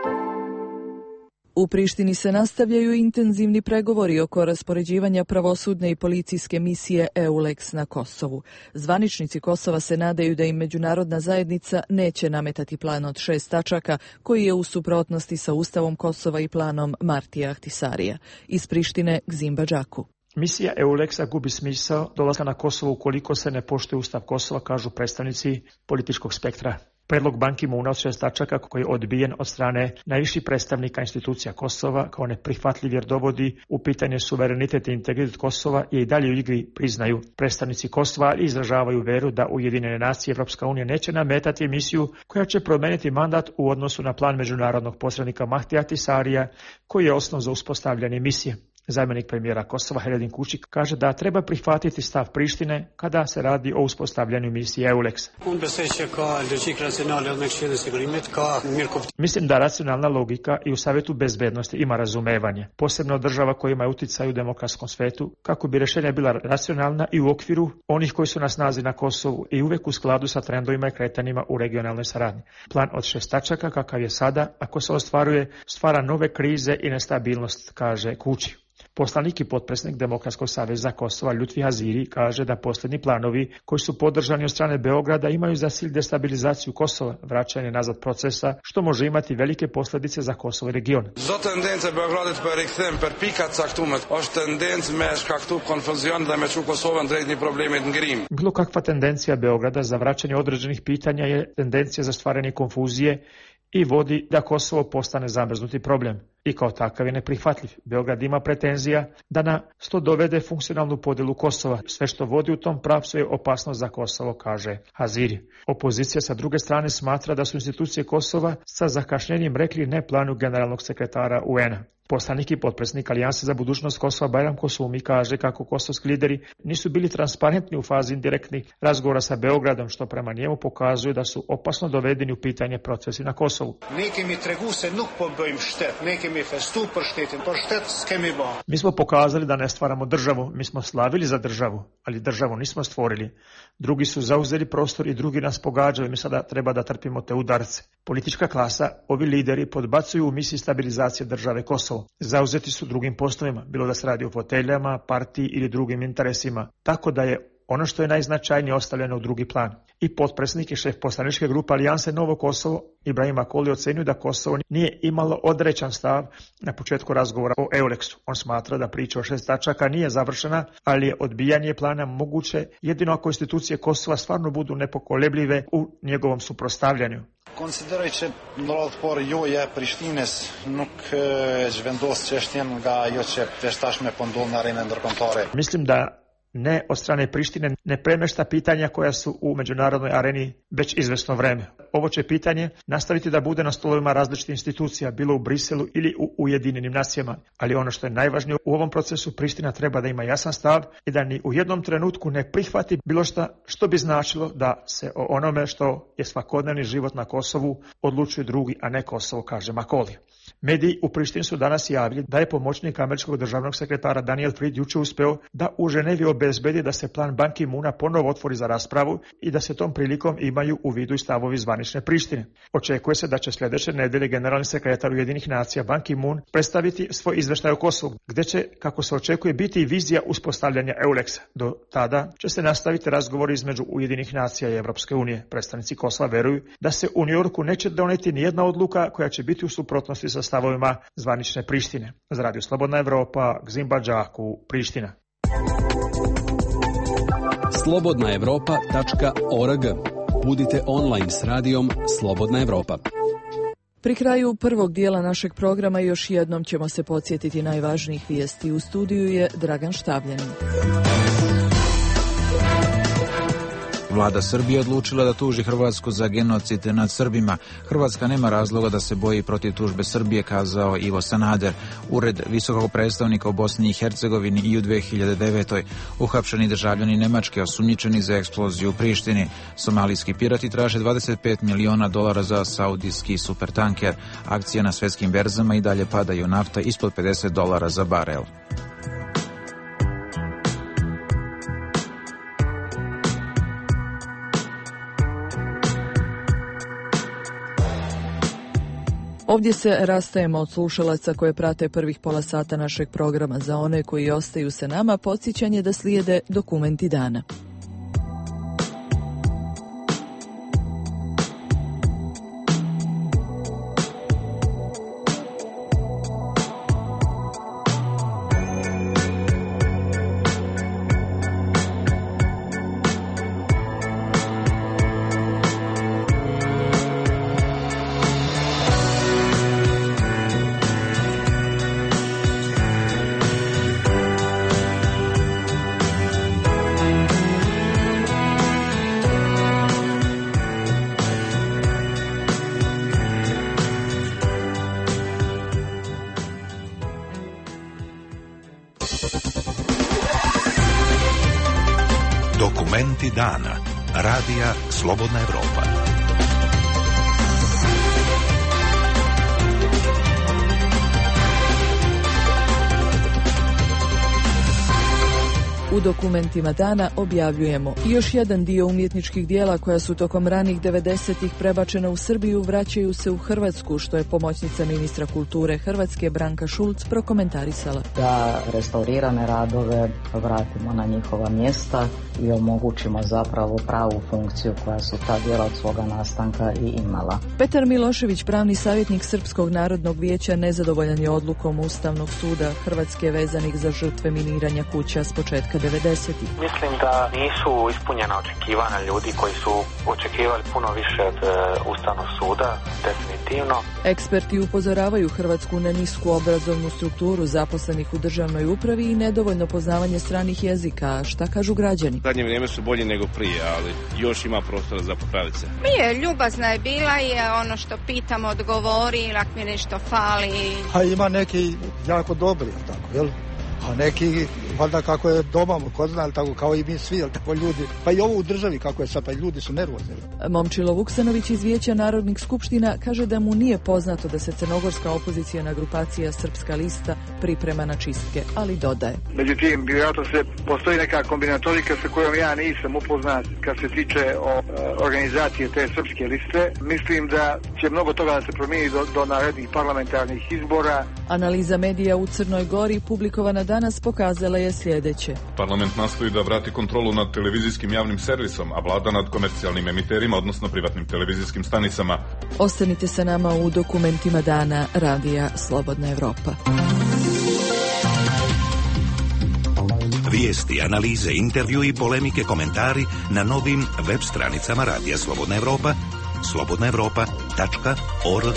U Prištini se nastavljaju intenzivni pregovori oko raspoređivanja pravosudne i policijske misije EULEX na Kosovu. Zvaničnici Kosova se nadaju da im međunarodna zajednica neće nametati plan od šest tačaka koji je u suprotnosti sa Ustavom Kosova i planom Martija Ahtisarija. Iz Prištine Gzim Badžaku. Misija EULEX-a gubi smisao dolaska na Kosovo ukoliko se ne poštuje Ustav Kosova, kažu predstavnici političkog spektra. Predlog Ban Ki-moona od šest tačaka koji je odbijen od strane najviših predstavnika institucija Kosova kao neprihvatljiv jer dovodi u pitanje suverenitet i integritet Kosova je i dalje u igri, priznaju predstavnici Kosova i izražavaju veru da Ujedinjene nacije i Evropska unija neće nametati emisiju koja će promeniti mandat u odnosu na plan međunarodnog posrednika Mahtija Tisarija koji je osnov za uspostavljanje misije. Zamjenik premijera Kosova Heredin Kučik kaže da treba prihvatiti stav Prištine kada se radi o uspostavljanju misije EULEX. Mislim da racionalna logika i u Savjetu bezbednosti ima razumevanje, posebno država koja ima uticaj u demokratskom svetu, kako bi rješenja bila racionalna i u okviru onih koji su na snazi na Kosovu i uvek u skladu sa trendovima i kretanjima u regionalnoj saradnji. Plan od šest tačaka kakav je sada, ako se ostvaruje, stvara nove krize i nestabilnost, kaže Kučik. Poslanik i potpredsjednik Demokratskog saveza Kosova Ljutfi Haziri kaže da posljednji planovi koji su podržani od strane Beograda imaju za cilj destabilizaciju Kosova, vraćanje nazad procesa, što može imati velike posljedice za Kosovo i region. Zdo tendence Beogradit për rikthim për pikat caktuar është tendencë me shkaktu konfuzion dhe me çu Kosovën drejt një problemit ngrim. Bilo kakva tendencija Beograda za vraćanje određenih pitanja je tendencija za stvaranje konfuzije i vodi da Kosovo postane zamrznuti problem i kao takav je neprihvatljiv. Beograd ima pretenzija da na sto dovede funkcionalnu podjelu Kosova. Sve što vodi u tom pravcu je opasnost za Kosovo, kaže Haziri. Opozicija sa druge strane smatra da su institucije Kosova sa zakašnjenjem rekli ne planu generalnog sekretara U N-a. Poslanik i potpredsjednik Alijanse za budućnost Kosova Bajram Kosumi kaže kako kosovski lideri nisu bili transparentni u fazi indirektnih razgovora sa Beogradom, što prema njemu pokazuje da su opasno dovedeni u pitanje procesi na Kosovu. Mi smo pokazali da ne stvaramo državu, mi smo slavili za državu, ali državu nismo stvorili. Drugi su zauzeli prostor i drugi nas pogađaju, mi sada treba da trpimo te udarce. Politička klasa, ovi lideri podbacuju u misiji stabilizacije države Kosovo. Zauzeti su drugim poslovima, bilo da se radi o foteljama, partiji ili drugim interesima, tako da je ono što je najznačajnije ostavljeno u drugi plan. I potpredsjednik i šef poslaničke grupe Alijanse Novo Kosovo, Ibrahim Akoli, ocenio da Kosovo nije imalo određen stav na početku razgovora o EULEX-u. On smatra da priča o šest tačaka nije završena, ali je odbijanje plana moguće jedino ako institucije Kosova stvarno budu nepokolebljive u njegovom suprotstavljanju. Konsideroj që në radhë parë joja Prishtines nuk e zhvendos çështjen nga ajo që tashmë po ndodh në arenën ndërkombëtare. Mislim da ne od strane Prištine ne premešta pitanja koja su u međunarodnoj areni već izvesno vreme. Ovo će pitanje nastaviti da bude na stolovima različitih institucija, bilo u Briselu ili u Ujedinjenim nacijama. Ali ono što je najvažnije u ovom procesu, Priština treba da ima jasan stav i da ni u jednom trenutku ne prihvati bilo šta što bi značilo da se o onome što je svakodnevni život na Kosovu odlučuje drugi, a ne Kosovo, kaže Makoli. Mediji u Prištini su danas javili da je pomoćnik američkog državnog sekretara Daniel Fried juče uspeo da u Ženevi obezbedi da se plan Ban Ki-moona ponovo otvori za raspravu i da se tom prilikom imaju u vidu i stavovi zvanične Prištine. Očekuje se da će sljedeće nedelje generalni sekretar Ujedinjenih nacija Ban Ki-moon predstaviti svoj izveštaj o Kosovu, gdje će, kako se očekuje, biti i vizija uspostavljanja EULEX-a. Do tada će se nastaviti razgovori između Ujedinjenih nacija i Evropske unije. Predstavnici Kosova veruju da se u Njujorku neće doneti ni jedna odluka koja će biti u suprotnosti sa stavovima zvanične Prištine. Za Radio Slobodna Evropa, Gzimba Đaku, Priština. slobodna evropa tačka org. Budite online s radijom Slobodna Evropa. Pri kraju prvog dijela našeg programa još jednom ćemo se podsjetiti najvažnijih vijesti. U studiju je Dragan Štavljanin. Vlada Srbije odlučila da tuži Hrvatsku za genocid nad Srbima. Hrvatska nema razloga da se boji protiv tužbe Srbije, kazao Ivo Sanader. Ured visokog predstavnika u Bosni i Hercegovini i u dve hiljade devetoj. Uhapšeni državljani Nemačke osumnjičeni za eksploziju u Prištini. Somalijski pirati traže dvadeset pet miliona dolara za saudijski supertanker. Akcije na svjetskim berzama i dalje padaju, nafta ispod pedeset dolara za barel. Ovdje se rastajemo od slušalaca koje prate prvih pola sata našeg programa. Za one koji ostaju sa nama, podsjećanje da slijede dokumenti dana. Dokumenti dana. Radija Slobodna Evropa. U dokumentima dana objavljujemo još jedan dio umjetničkih dijela koja su tokom ranih devedesetih prebačena u Srbiju vraćaju se u Hrvatsku, što je pomoćnica ministra kulture Hrvatske Branka Šulc prokomentarisala. Da restaurirane radove vratimo na njihova mjesta i omogućimo zapravo pravu funkciju koja su ta djela od svoga nastanka i imala. Petar Milošević, pravni savjetnik Srpskog narodnog vijeća, nezadovoljan je odlukom Ustavnog suda Hrvatske vezanih za žrtve miniranja kuća s početka devedesetih. Mislim da nisu ispunjena očekivanja ljudi koji su očekivali puno više od e, Ustavnog suda, definitivno. Eksperti upozoravaju Hrvatsku na nisku obrazovnu strukturu zaposlenih u državnoj upravi i nedovoljno poznavanje stranih jezika. Šta kažu građani? Zadnje vrijeme su bolji nego prije, ali još ima prostora za popraviti se. Mi je ljubazna je bila i je ono što pitam odgovori, ako mi nešto fali. A ima neki jako dobri, tako, jel? A neki, valjda kako je doma, ko zna, tako kao i mi svi, tako ljudi, pa i ovo u državi kako je sad, pa ljudi su nervozni. Momčilo Vuksanović iz Vijeća narodnih skupština kaže da mu nije poznato da se crnogorska opozicijana grupacija Srpska lista priprema na čistke, ali dodaje. Međutim, vjerojatno se postoji neka kombinatorika sa kojom ja nisam upoznat kad se tiče o e, organizacije te Srpske liste. Mislim da će mnogo toga da se promijeni do, do narednih parlamentarnih izbora. Analiza medija u Crnoj Gori publikovana danas pokazala je sljedeće. Parlament nastoji da vrati kontrolu nad televizijskim javnim servisom, a vlada nad komercijalnim emiterima, odnosno privatnim televizijskim stanicama. Ostanite sa nama u dokumentima dana Radija Slobodna Evropa. Vijesti, analize, intervju i polemike, komentari na novim web stranicama Radija Slobodna Evropa, slobodna evropa tačka org.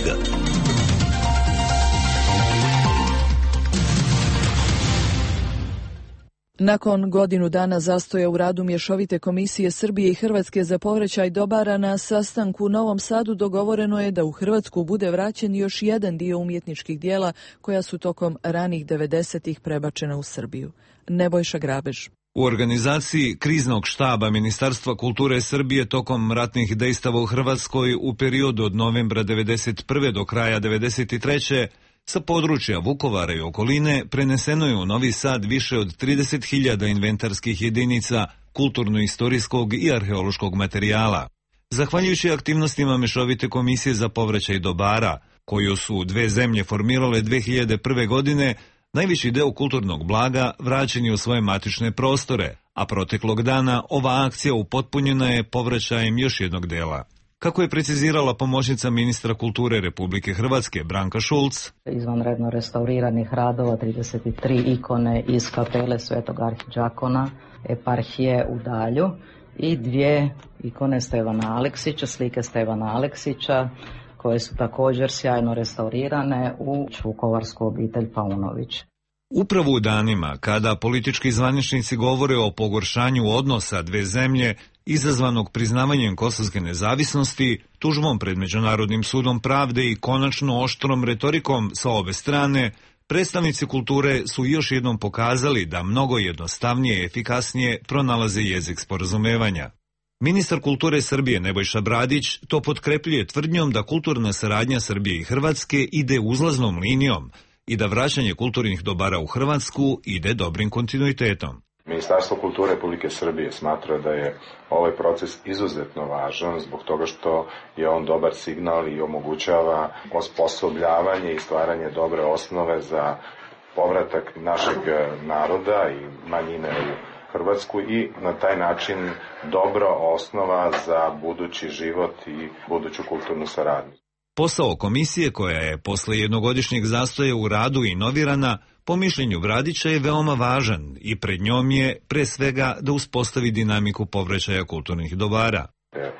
Nakon godinu dana zastoja u radu Mješovite komisije Srbije i Hrvatske za povraćaj dobara, na sastanku u Novom Sadu dogovoreno je da u Hrvatsku bude vraćen još jedan dio umjetničkih dijela koja su tokom ranih devedesetih prebačena u Srbiju. Nebojša Grabež. U organizaciji kriznog štaba Ministarstva kulture Srbije tokom ratnih dejstava u Hrvatskoj u periodu od novembra devedeset prve do kraja devedeset treće sa područja Vukovara i okoline preneseno je u Novi Sad više od trideset hiljada inventarskih jedinica, kulturno-istorijskog i arheološkog materijala. Zahvaljujući aktivnostima Mješovite komisije za povraćaj dobara, koju su dve zemlje formirale dve hiljade prve. godine, najveći deo kulturnog blaga vraćen je u svoje matične prostore, a proteklog dana ova akcija upotpunjena je povraćajem još jednog dela. Kako je precizirala pomoćnica ministra kulture Republike Hrvatske Branka Šulc. Izvanredno restauriranih radova trideset tri ikone iz kapele Svetog Arhidžakona, eparhije u Dalju i dvije ikone Stevana Aleksića, slike Stevana Aleksića, koje su također sjajno restaurirane u vukovarsku obitelj Paunović. Upravo u danima kada politički zvaničnici govore o pogoršanju odnosa dve zemlje izazvanog priznavanjem kosovske nezavisnosti, tužbom pred Međunarodnim sudom pravde i konačno oštrom retorikom sa obe strane, predstavnici kulture su još jednom pokazali da mnogo jednostavnije i efikasnije pronalaze jezik sporazumevanja. Ministar kulture Srbije Nebojša Bradić to potkrepljuje tvrdnjom da kulturna saradnja Srbije i Hrvatske ide uzlaznom linijom i da vraćanje kulturnih dobara u Hrvatsku ide dobrim kontinuitetom. Ministarstvo kulture Republike Srbije smatra da je ovaj proces izuzetno važan zbog toga što je on dobar signal i omogućava osposobljavanje i stvaranje dobre osnove za povratak našeg naroda i manjine u Hrvatsku i na taj način dobra osnova za budući život i buduću kulturnu saradnju. Posao komisije, koja je posle jednogodišnjeg zastoja u radu inovirana, po mišljenju Bradića je veoma važan i pred njom je pre svega da uspostavi dinamiku povraćaja kulturnih dobara.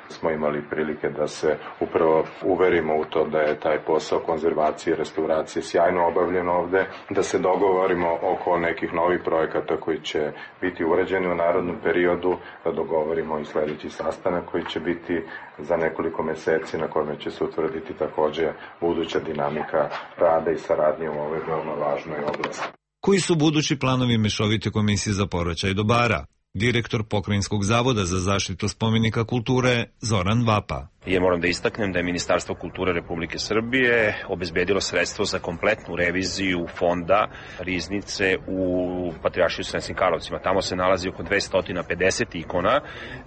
Smo imali prilike da se upravo uverimo u to da je taj posao konzervacije i restauracije sjajno obavljen ovde, da se dogovorimo oko nekih novih projekata koji će biti urađeni u narodnom periodu, da dogovorimo i sledeći sastanak koji će biti za nekoliko meseci na kome će se utvrditi takođe buduća dinamika rada i saradnje u ovoj veoma važnoj oblasti. Koji su budući planovi Mešovite komisije za povraćaj dobara? Direktor Pokrajinskog zavoda za zaštitu spomenika kulture Zoran Vapa. Ja moram da istaknem da je Ministarstvo kulture Republike Srbije obezbedilo sredstvo za kompletnu reviziju fonda riznice u Patrijaršiju Sremskim Karlovcima. Tamo se nalazi oko dvesta pedeset ikona,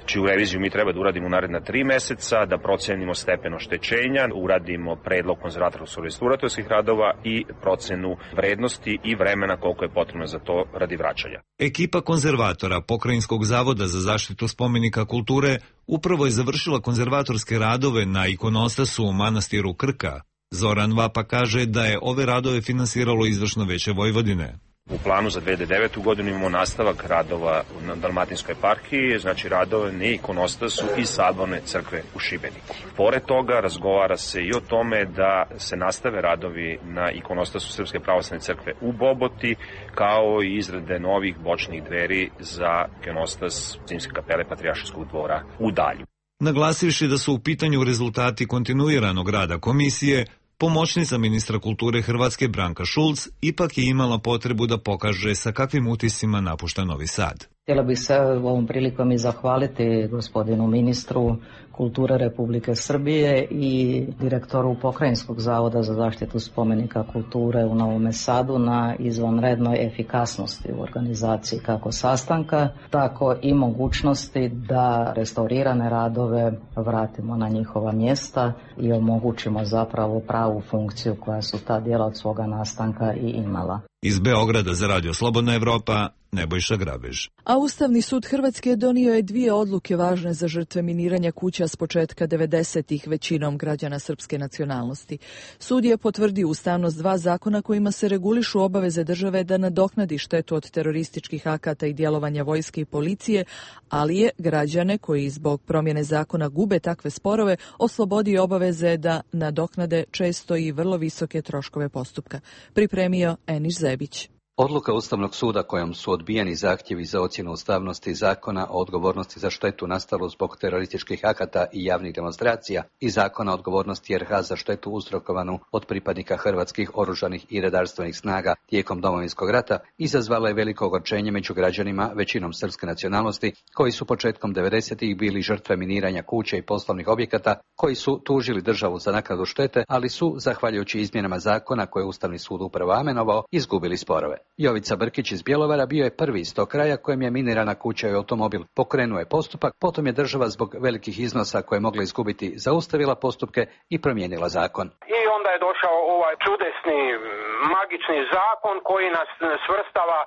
čiju reviziju mi treba da uradimo u naredna tri meseca, da procenimo stepen oštećenja, uradimo predlog konzervatorsko-restauratorskih radova i procenu vrednosti i vremena koliko je potrebno za to radi vraćanja. Ekipa konzervatora Pokrajinskog zavoda za zaštitu spomenika kulture upravo je završila konzervatorske radove na ikonostasu u manastiru Krka. Zoran Vapa kaže da je ove radove finansiralo Izvršno veće Vojvodine. U planu za dve hiljade devete. godinu imamo nastavak radova na Dalmatinskoj eparhiji, znači radove na ikonostasu i Saborne crkve u Šibeniku. Pored toga razgovara se i o tome da se nastave radovi na ikonostasu Srpske pravoslavne crkve u Boboti, kao i izrade novih bočnih dveri za ikonostas Zimske kapele Patrijaršijskog dvora u Dalju. Naglasivši da su u pitanju rezultati kontinuiranog rada komisije, pomoćnica ministra kulture Hrvatske Branka Šulc ipak je imala potrebu da pokaže sa kakvim utiscima napušta Novi Sad. Htjela bih se ovom prilikom i zahvaliti gospodinu ministru kulture Republike Srbije i direktoru Pokrajinskog zavoda za zaštitu spomenika kulture u Novom Sadu na izvanrednoj efikasnosti u organizaciji kako sastanka, tako i mogućnosti da restaurirane radove vratimo na njihova mjesta i omogućimo zapravo pravu funkciju koja su ta djela od svoga nastanka i imala. Iz Beograda za Radio Slobodna Evropa, Nebojša Grabež. A Ustavni sud Hrvatske donio je dvije odluke važne za žrtve miniranja kuća s početka devedesetih većinom građana srpske nacionalnosti. Sud je potvrdio ustavnost dva zakona kojima se regulišu obaveze države da nadoknadi štetu od terorističkih akata i djelovanja vojske i policije, ali je građane koji zbog promjene zakona gube takve sporove oslobodio obaveze da nadoknade često i vrlo visoke troškove postupka. Pripremio Eniš Zebić. Odluka Ustavnog suda kojom su odbijeni zahtjevi za ocjenu ustavnosti zakona o odgovornosti za štetu nastalu zbog terorističkih akata i javnih demonstracija i zakona o odgovornosti R H za štetu uzrokovanu od pripadnika hrvatskih oružanih i redarstvenih snaga tijekom Domovinskog rata izazvala je veliko ogorčenje među građanima većinom srpske nacionalnosti koji su početkom devedesetih bili žrtve miniranja kuća i poslovnih objekata koji su tužili državu za naknadu štete, ali su, zahvaljujući izmjenama zakona koje je Ustavni sud upravo amenovao, izgubili sporove. Jovica Brkić iz Bjelovara bio je prvi iz tog kraja kojem je minirana kuća i automobil. Pokrenuo je postupak, potom je država zbog velikih iznosa koje je mogla izgubiti zaustavila postupke i promijenila zakon. I onda je došao ovaj čudesni, magični zakon koji nas svrstava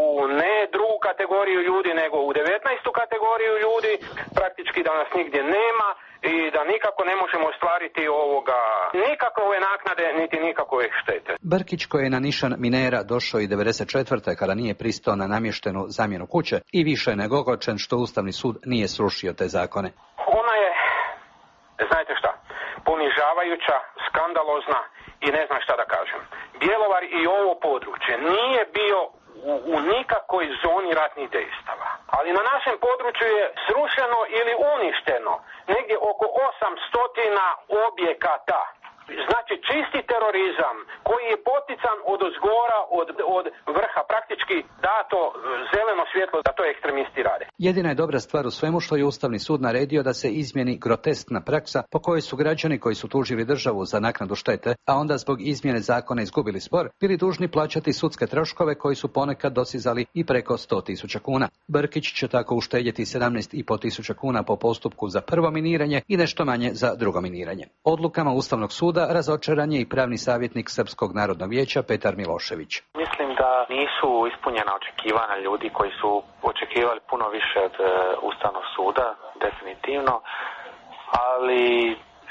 u ne drugu kategoriju ljudi, nego u devetnaestu kategoriju ljudi, praktički da nas nigdje nema i da nikako ne možemo ostvariti ovoga, nikakove naknade, niti nikakove štete. Brkić koji je na nišan minera došao i devedeset četvrte kada nije pristao na namještenu zamjenu kuće i više je nego ogorčen što Ustavni sud nije srušio te zakone. Ona je, znate šta, ponižavajuća, skandalozna i ne znam šta da kažem. Bjelovar i ovo područje nije bio u, u nikakvoj zoni ratnih dejstava. Ali na našem području je srušeno ili uništeno negdje oko osamsto objekata. Znači čisti terorizam koji je potican od ozgora, od, od vrha, praktički dato zeleno svjetlo da to ekstremisti rade. Jedina je dobra stvar u svemu što je Ustavni sud naredio da se izmjeni groteskna praksa po kojoj su građani koji su tužili državu za naknadu štete, a onda zbog izmjene zakona izgubili spor, bili dužni plaćati sudske troškove koji su ponekad dosizali i preko sto tisuća kuna. Brkić će tako uštedjeti sedamnaest i po tisuća kuna po postupku za prvo miniranje i nešto manje za drugo miniranje. Odlukama Ustavnog suda razočaran je i pravni savjetnik Srpskog narodnog vijeća Petar Milošević. Mislim da nisu ispunjena očekivanja ljudi koji su očekivali puno više od uh, Ustavnog suda, definitivno, ali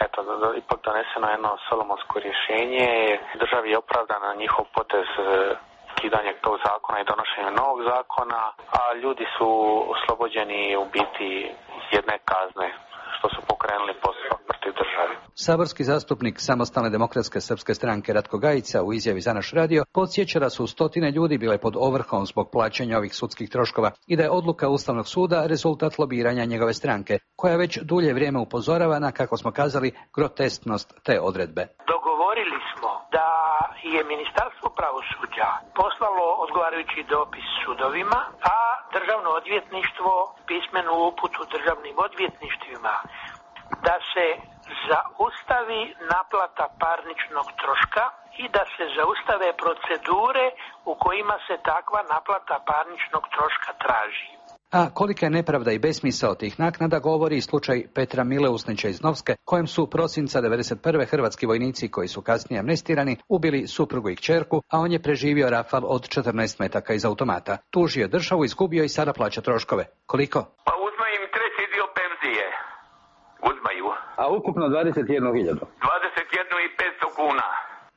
eto, ipak doneseno jedno solomonsko rješenje. Državi je opravdana njihov potez uh, skidanje tog zakona i donošenje novog zakona, a ljudi su oslobođeni u biti jedne kazne što su pokrenuli postupak protiv države. Saborski zastupnik Samostalne demokratske srpske stranke Ratko Gajica u izjavi za naš radio podsjeća da su stotine ljudi bile pod ovrhom zbog plaćanja ovih sudskih troškova i da je odluka Ustavnog suda rezultat lobiranja njegove stranke, koja već dulje vrijeme upozorava na, kako smo kazali, grotesknost te odredbe. Dogovorili smo da je Ministarstvo pravosuđa poslalo odgovarajući dopis sudovima, a Državno odvjetništvo pismenu uputu državnim odvjetništvima da se zaustavi naplata parničnog troška i da se zaustave procedure u kojima se takva naplata parničnog troška traži. A kolika je nepravda i besmisao tih naknada govori slučaj Petra Mileusnića iz Novske, kojem su prosinca devedeset prve hrvatski vojnici koji su kasnije amnestirani ubili suprugu i kćerku, a on je preživio rafal od četrnaest metaka iz automata. Tužio državu, izgubio i sada plaća troškove. Koliko? Pa uzma im treći dio penzije. Uzmaju. A ukupno dvadeset jednu hiljadu. dvadeset jednu i petsto kuna.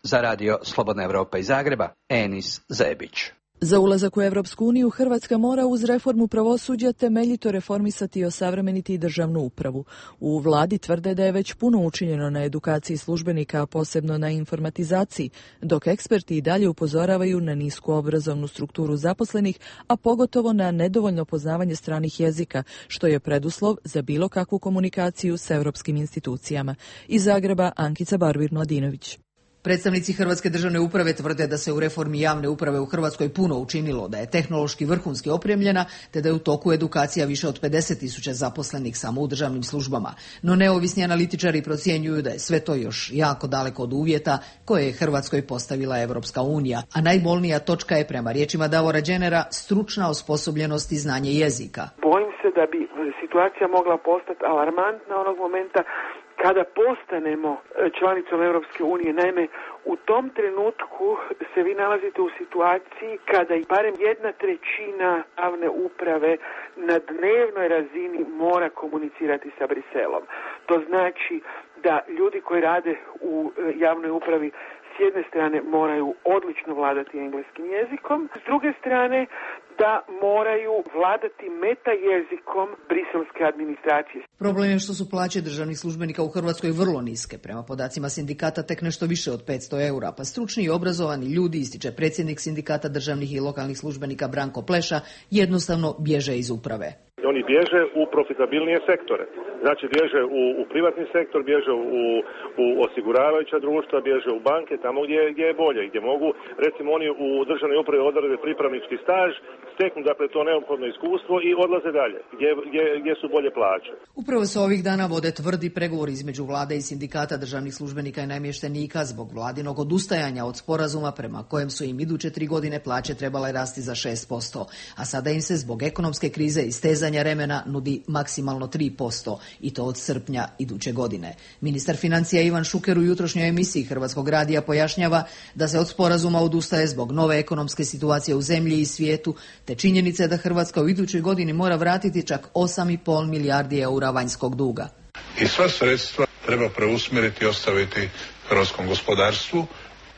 Za radio Slobodna Evropa iz Zagreba, Enis Zebić. Za ulazak u Evropsku uniju Hrvatska mora uz reformu pravosuđa temeljito reformisati i osavremeniti državnu upravu. U vladi tvrde da je već puno učinjeno na edukaciji službenika, a posebno na informatizaciji, dok eksperti i dalje upozoravaju na nisku obrazovnu strukturu zaposlenih, a pogotovo na nedovoljno poznavanje stranih jezika, što je preduslov za bilo kakvu komunikaciju s europskim institucijama. Iz Zagreba, Ankica Barbir-Mladinović. Predstavnici Hrvatske državne uprave tvrde da se u reformi javne uprave u Hrvatskoj puno učinilo, da je tehnološki vrhunski opremljena, te da je u toku edukacija više od pedeset tisuća zaposlenih samo u državnim službama. No neovisni analitičari procjenjuju da je sve to još jako daleko od uvjeta koje je Hrvatskoj postavila Evropska unija, a najbolnija točka je, prema riječima Davora Đenera, stručna osposobljenost i znanje jezika. Bojim se da bi situacija mogla postati alarmantna onog momenta kada postanemo članicom Europske unije. Naime, u tom trenutku se vi nalazite u situaciji kada i barem jedna trećina javne uprave na dnevnoj razini mora komunicirati sa Briselom. To znači da ljudi koji rade u javnoj upravi s jedne strane moraju odlično vladati engleskim jezikom, s druge strane da moraju vladati meta jezikom briselske administracije. Problem je što su plaće državnih službenika u Hrvatskoj vrlo niske. Prema podacima sindikata tek nešto više od petsto eura, pa stručni i obrazovani ljudi, ističe predsjednik sindikata državnih i lokalnih službenika Branko Pleša, jednostavno bježe iz uprave. Oni bježe u profitabilnije sektore. Znači bježe u, u privatni sektor, bježe u, u osiguravajuća društva, bježe u banke, tamo gdje, gdje je bolje, gdje mogu, recimo oni u državnoj upravi odrade pripravnički staž, steknu dakle to neophodno iskustvo i odlaze dalje, gdje, gdje, gdje su bolje plaće. Upravo se ovih dana vode tvrdi pregovori između vlade i sindikata državnih službenika i namještenika zbog vladinog odustajanja od sporazuma prema kojem su im iduće tri godine plaće trebale rasti za šest posto, a sada im se zbog ekonomske krize i stezanja remena nudi maksimalno tri posto i to od srpnja iduće godine. Ministar financija Ivan Šuker u jutrošnjoj emisiji Hrvatskog radija pojašnjava da se od sporazuma odustaje zbog nove ekonomske situacije u zemlji i svijetu, te činjenice da Hrvatska u idućoj godini mora vratiti čak osam i pol milijardi eura vanjskog duga. I sva sredstva treba preusmjeriti i ostaviti hrvatskom gospodarstvu,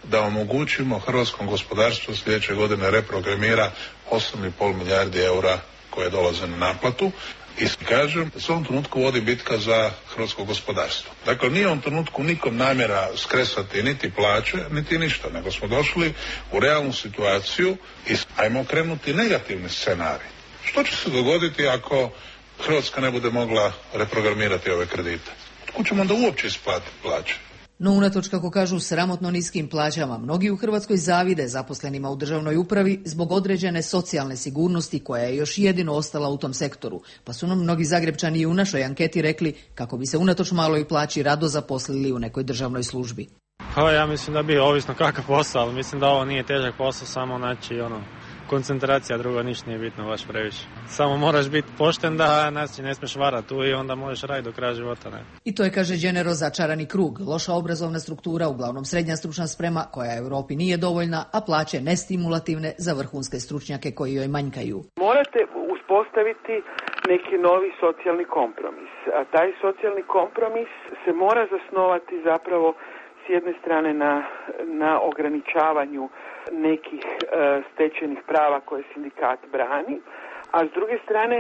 da omogućimo hrvatskom gospodarstvu sljedeće godine reprogramira osam i pol milijardi eura koje dolaze na naplatu. I kažem, u ovom trenutku vodi bitka za hrvatsko gospodarstvo. Dakle, nije u ovom trenutku nikom namjera skresati niti plaće, niti ništa, nego smo došli u realnu situaciju i ajmo krenuti negativni scenarij. Što će se dogoditi ako Hrvatska ne bude mogla reprogramirati ove kredite? Otkud ćemo onda uopće isplatiti plaće? No unatoč, kako kažu, sramotno niskim plaćama, mnogi u Hrvatskoj zavide zaposlenima u državnoj upravi zbog određene socijalne sigurnosti koja je još jedino ostala u tom sektoru. Pa su nam mnogi Zagrebčani i u našoj anketi rekli kako bi se unatoč maloj plaći rado zaposlili u nekoj državnoj službi. Pa ja mislim da bi, ovisno kakav posao, ali mislim da ovo nije težak posao, samo znači ono, koncentracija, drugo ništa nije bitno baš previše. Samo moraš biti pošten da nas ne smiješ varati tu i onda možeš raditi do kraja života. Ne? I to je, kaže Đenero, začarani krug. Loša obrazovna struktura, uglavnom srednja stručna sprema koja Europi nije dovoljna, a plaće nestimulativne za vrhunske stručnjake koji joj manjkaju. Morate uspostaviti neki novi socijalni kompromis. A taj socijalni kompromis se mora zasnovati zapravo s jedne strane na, na ograničavanju nekih e, stečenih prava koje sindikat brani, a s druge strane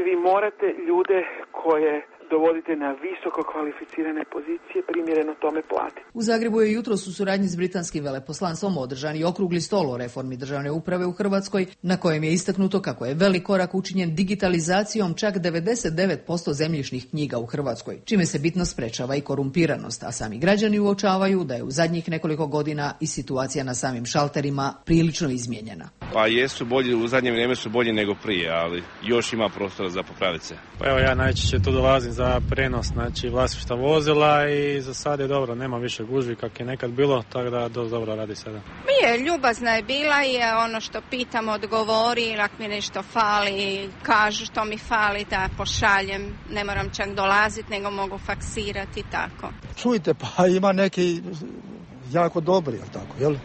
vi morate ljude koje dovodite na visoko kvalificirane pozicije, primjereno tome platiti. U Zagrebu je jutros u suradnji s britanskim veleposlanstvom održan i okrugli stol o reformi državne uprave u Hrvatskoj, na kojem je istaknuto kako je velik korak učinjen digitalizacijom čak devedeset devet posto zemljišnih knjiga u Hrvatskoj, čime se bitno sprečava i korumpiranost, a sami građani uočavaju da je u zadnjih nekoliko godina i situacija na samim šalterima prilično izmijenjena. Pa jesu bolji, u zadnje vrijeme su bolji nego prije, ali još ima prostora za popraviti se. Pa evo ja najčešće tu dolazim za prenos, znači vlasništva vozila i za sad je dobro, nema više gužvi kak je nekad bilo, tako da dosta dobro radi sada. Je, ljubazna je bila i je ono što pitam odgovori, ako mi nešto fali, kažu što mi fali da pošaljem, ne moram čak dolaziti nego mogu faksirati tako. Čujte, pa ima neki jako dobri, jel tako, jel?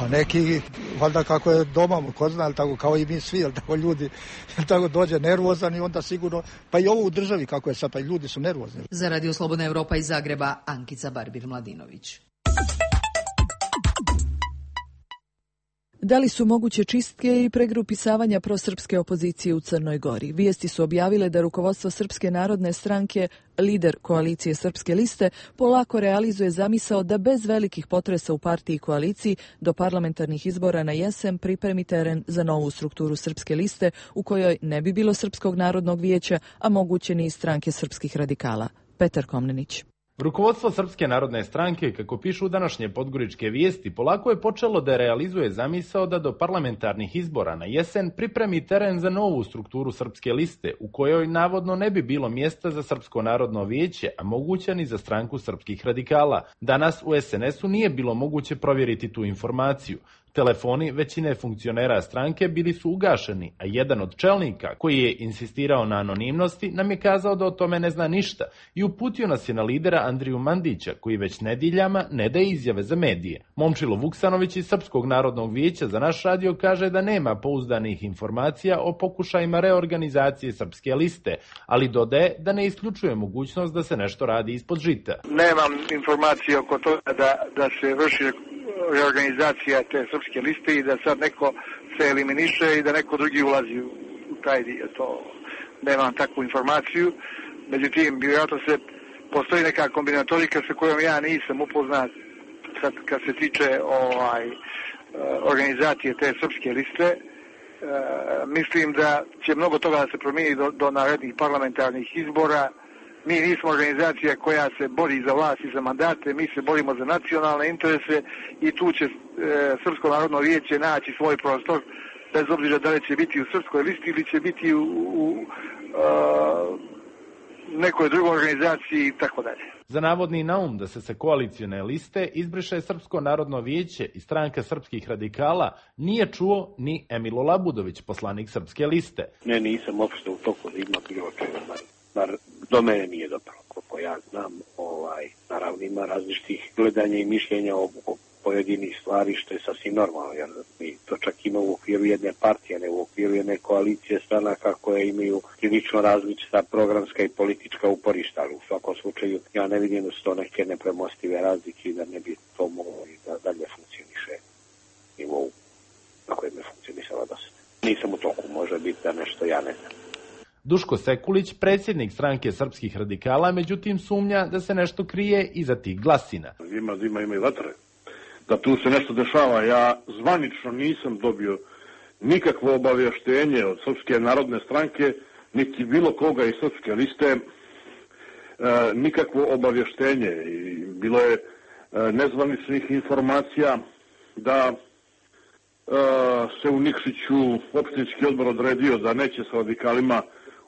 A neki, valjda kako je doma, ko zna, tako, kao i mi svi, jel tako, ljudi, jel tako, dođe nervozan i onda sigurno, pa i ovo u državi kako je sad, pa i ljudi su nervozni. Za Radio Slobodna Europa iz Zagreba, Ankica Barbir-Mladinović. Da li su moguće čistke i pregrupisavanja prosrpske opozicije u Crnoj Gori? Vijesti su objavile da rukovodstvo Srpske narodne stranke, lider koalicije Srpske liste, polako realizuje zamisao da bez velikih potresa u partiji i koaliciji do parlamentarnih izbora na jesen pripremi teren za novu strukturu Srpske liste u kojoj ne bi bilo Srpskog narodnog vijeća, a moguće ni stranke srpskih radikala. Petar Komnenić. Rukovodstvo Srpske narodne stranke, kako pišu današnje podgoričke vijesti, polako je počelo da realizuje zamisao da do parlamentarnih izbora na jesen pripremi teren za novu strukturu Srpske liste, u kojoj navodno ne bi bilo mjesta za Srpsko narodno vijeće, a moguće ni za stranku srpskih radikala. Danas u es en esu nije bilo moguće provjeriti tu informaciju. Telefoni većine funkcionera stranke bili su ugašeni, a jedan od čelnika, koji je insistirao na anonimnosti, nam je kazao da o tome ne zna ništa i uputio nas je na lidera Andriju Mandića, koji već nediljama ne daje izjave za medije. Momčilo Vuksanović iz Srpskog narodnog vijeća za naš radio kaže da nema pouzdanih informacija o pokušajima reorganizacije Srpske liste, ali dodaje da ne isključuje mogućnost da se nešto radi ispod žita. Nemam informacije oko toga da, da se vrši reorganizacija te srpske liste i da sad neko se eliminiše i da neko drugi ulazi u taj dio. To nemam takvu informaciju. Međutim, vjerojatno se postoji neka kombinatorika sa kojom ja nisam upoznat kad, kad se tiče ovaj, organizacije te srpske liste. E, mislim da će mnogo toga da se promijeni do, do narednih parlamentarnih izbora. Mi nismo organizacija koja se bori za vlast i za mandate, mi se borimo za nacionalne interese i tu će e, Srpsko narodno vijeće naći svoj prostor, bez obzira da li će biti u srpskoj listi ili će biti u, u a, nekoj drugoj organizaciji i tako dalje. Za navodni naum da se sa koalicione liste izbriše Srpsko narodno vijeće i stranka srpskih radikala nije čuo ni Emilo Labudović, poslanik Srpske liste. Ne, nisam uopšte u toku da ima bilo čega. Bar do mene nije dopalo, koliko ja znam, ovaj, naravno ima različitih gledanja i mišljenja o, o pojedinih stvari, što je sasvim normalno, jer mi to čak ima u okviru jedne partije, ne u okviru jedne koalicije stranaka koje imaju prilično različita programska i politička uporišta, ali u svakom slučaju ja ne vidim da su to neke nepremostive razlike i da ne bi to moglo da dalje funkcioniše nivou na kojem je funkcionisala do sada. Nisam u toku, može biti da nešto ja ne znam. Duško Sekulić, predsjednik stranke srpskih radikala, međutim sumnja da se nešto krije iza tih glasina. Ima zima, ima i vatre. Da tu se nešto dešava. Ja zvanično nisam dobio nikakvo obavještenje od Srpske narodne stranke, niti bilo koga iz Srpske liste, e, nikakvo obavještenje. I bilo je e, nezvaničnih informacija da e, se u Nikšiću opštinski odbor odredio da neće sa radikalima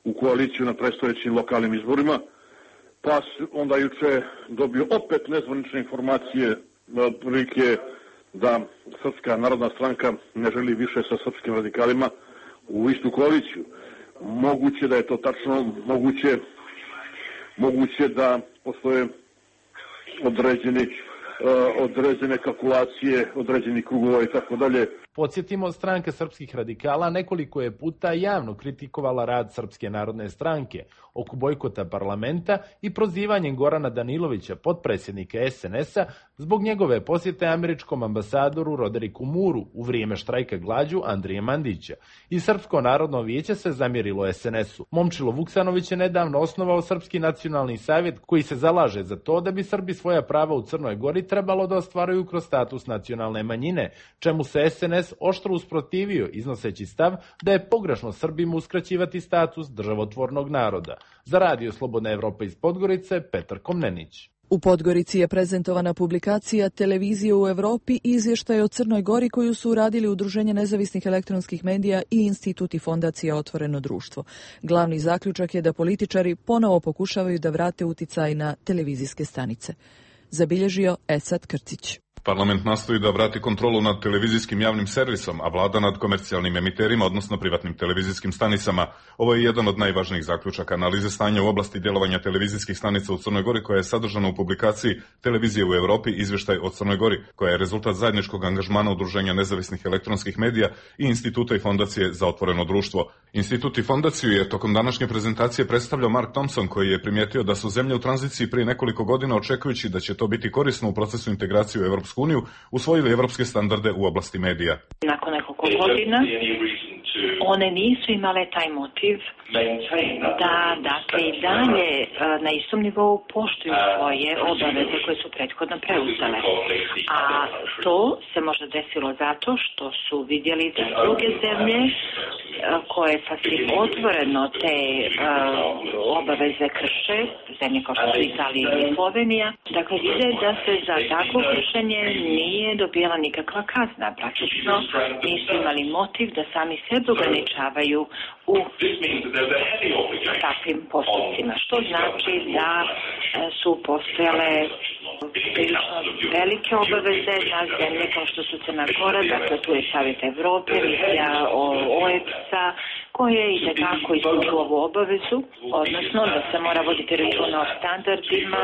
u koaliciju na predstojećim lokalnim izborima, pa onda juče dobio opet nezvanične informacije prilike da Srpska narodna stranka ne želi više sa srpskim radikalima u istu koaliciju. Moguće da je to tačno, moguće, moguće da postoje određeni, određene kalkulacije, određeni krugova i tako dalje. Podsjetimo, stranka srpskih radikala nekoliko je puta javno kritikovala rad Srpske narodne stranke oko bojkota parlamenta i prozivanjem Gorana Danilovića, potpredsjednika es en es a, zbog njegove posjete američkom ambasadoru Roderiku Muru u vrijeme štrajka glađu Andrije Mandića. I Srpsko narodno vijeće se zamjerilo es en es u. Momčilo Vuksanović je nedavno osnovao Srpski nacionalni savjet koji se zalaže za to da bi Srbi svoja prava u Crnoj Gori trebalo da ostvaruju kroz status nacionalne manjine, čemu se es en es oštro usprotivio, iznoseći stav da je pogrešno Srbima uskraćivati status državotvornog naroda. Za Radio Slobodna Evropa iz Podgorice, Petar Komnenić. U Podgorici je prezentovana publikacija Televizije u Evropi i izvještaj o Crnoj Gori koju su uradili Udruženje nezavisnih elektronskih medija i Institut i Fondacija Otvoreno društvo. Glavni zaključak je da političari ponovo pokušavaju da vrate uticaj na televizijske stanice. Zabilježio Esad Krcić. Parlament nastoji da vrati kontrolu nad televizijskim javnim servisom, a vlada nad komercijalnim emiterima, odnosno privatnim televizijskim stanicama. Ovo je jedan od najvažnijih zaključaka analize stanja u oblasti djelovanja televizijskih stanica u Crnoj Gori, koja je sadržana u publikaciji Televizije u Evropi, izvještaj o Crnoj Gori, koja je rezultat zajedničkog angažmana Udruženja nezavisnih elektronskih medija i Instituta i Fondacije za otvoreno društvo. Institut i Fondaciju je tokom današnje prezentacije predstavljao Mark Thompson, koji je primijetio da su zemlje u tranziciji prije nekoliko godina, očekujući da će to biti korisno u procesu integracije u Evropsku uniju, usvojili evropske standarde u oblasti medija. Nakon nekoliko godina one nisu imale taj motiv da dakle i dalje na istom nivou poštuju svoje obaveze koje su prethodno preuzele. A to se možda desilo zato što su vidjeli da druge zemlje koje sasvim otvoreno te uh, obaveze krše, zemlje kao što su Italija i Slovenija, dakle vide da se za takvo kršenje nije dobijala nikakva kazna. Praktično nisu imali motiv da sami sebe ograničavaju u takvim postupcima, što znači da su postojale velike obaveze na zemlje kao što su Crna Gora, dakle tu je Savjet Evrope, misija o e pe es a, koje i tekako ispunju ovu obavezu, odnosno da se mora voditi računa o standardima,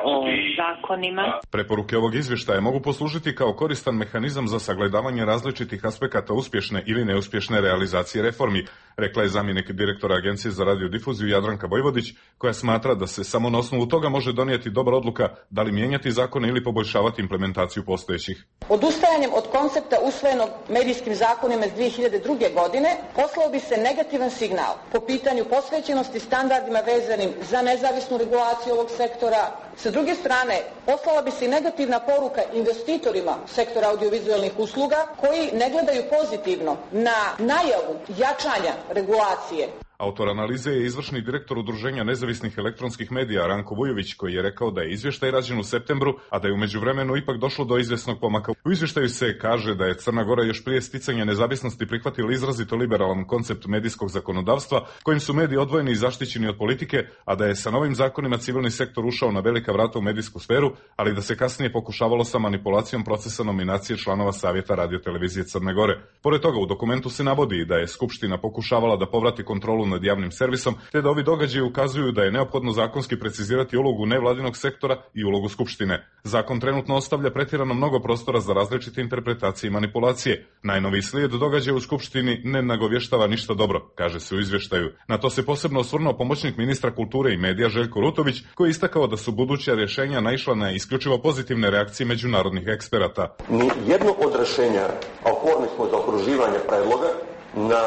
o zakonima. Preporuke ovog izvještaja mogu poslužiti kao koristan mehanizam za sagledavanje različitih aspekata uspješne ili neuspješne realizacije reformi, rekla je zamjenik direktora Agencije za radiodifuziju Jadranka Vojvodić, koja smatra da se samo na osnovu toga može donijeti dobra odluka da li mijenjati zakone ili poboljšavati implementaciju postojećih. Odustajanjem od koncepta usvojenog medijskim zakonima iz dvije hiljade druge. godine poslao bi se negativan signal po pitanju posvećenosti standardima vezanim za nezavisnu regulaciju ovog sektora. Sa druge strane, poslala bi se i negativna poruka investitorima sektora audiovizualnih usluga koji ne gledaju pozitivno na najavu jačanja regulacije. Autor analize je izvršni direktor Udruženja nezavisnih elektronskih medija Ranko Vujović, koji je rekao da je izvještaj rađen u septembru, a da je u međuvremenu ipak došlo do izvjesnog pomaka. U izvještaju se kaže da je Crna Gora još prije sticanja nezavisnosti prihvatila izrazito liberalan koncept medijskog zakonodavstva, kojim su mediji odvojeni i zaštićeni od politike, a da je sa novim zakonima civilni sektor ušao na velika vrata u medijsku sferu, ali da se kasnije pokušavalo sa manipulacijom procesa nominacije članova Savjeta radiotelevizije Crne Gore. Pored toga, u dokumentu se navodi da je Skupština pokušavala da povrati kontrolu nad javnim servisom, te da ovi događaji ukazuju da je neophodno zakonski precizirati ulogu nevladinog sektora i ulogu Skupštine. Zakon trenutno ostavlja pretjerano mnogo prostora za različite interpretacije i manipulacije. Najnoviji slijed događaja u Skupštini ne nagovještava ništa dobro, kaže se u izvještaju. Na to se posebno osvrnuo pomoćnik ministra kulture i medija Željko Rutović, koji je istakao da su buduća rješenja naišla na isključivo pozitivne reakcije međunarodnih eksperata. Ni jedno od rješenja, a otvoreni smo za okruživanje predloga, na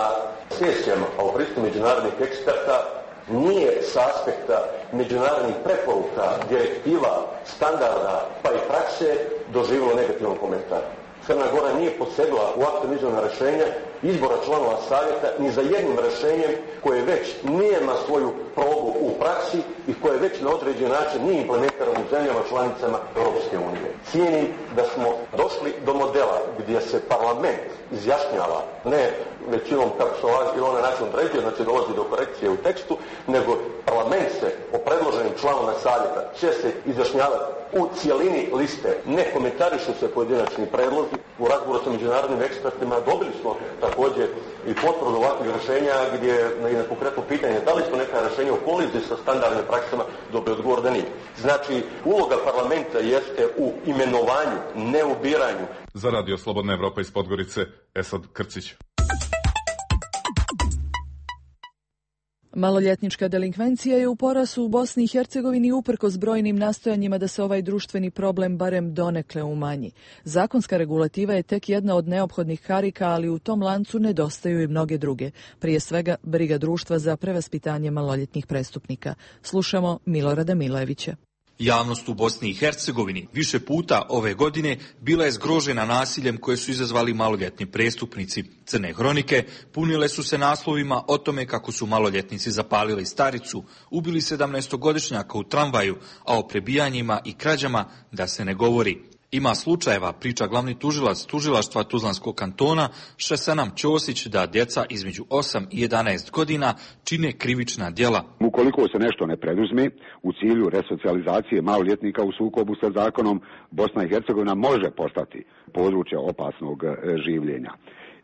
sesijama o pristupu međunarodnih eksperta nije s aspekta međunarodnih preporuka, direktiva, standarda pa i prakse doživjelo negativan komentar. Crna Gora nije posegla u aktualno izvorna rješenja izbora članova savjeta ni za jednim rješenjem koje već nema svoju probu u praksi i koje već na određen način nije implementirano u zemljama članicama Europske unije. Cijenim da smo došli do modela gdje se parlament izjašnjava ne većinom kako se ili onaj način određuje, znači dolazi do korekcije u tekstu, nego parlament se o predloženim članovima savjeta će se izjašnjavati u cijelini liste. Ne komentarišu se pojedinačni predlozi. U razgovoru sa međunarodnim ekspertima dobili smo ta također i potvrdu ovakvih rješenja gdje je konkretno pitanje da li su neka rješenja u koliziji sa standardnim praksama, dobio odgovor da nije. Znači, uloga parlamenta jeste u imenovanju, ne u biranju. Za Radio Slobodna Evropa iz Podgorice, Esad Krcić. Maloljetnička delinkvencija je u porastu u Bosni i Hercegovini uprkos brojnim nastojanjima da se ovaj društveni problem barem donekle umanji. Zakonska regulativa je tek jedna od neophodnih karika, ali u tom lancu nedostaju i mnoge druge. Prije svega, briga društva za prevaspitanje maloljetnih prestupnika. Slušamo Milorada Milojevića. Javnost u Bosni i Hercegovini više puta ove godine bila je zgrožena nasiljem koje su izazvali maloljetni prestupnici. Crne hronike punile su se naslovima o tome kako su maloljetnici zapalili staricu, ubili sedamnaestogodišnjaka u tramvaju, a o prebijanjima i krađama da se ne govori. Ima slučajeva, priča glavni tužilac tužilaštva Tuzlanskog kantona Šesanam Ćosić, da djeca između osam i jedanaest godina čine krivična djela. Ukoliko se nešto ne preduzme u cilju resocijalizacije maloljetnika u sukobu sa zakonom, Bosna i Hercegovina može postati područje opasnog življenja.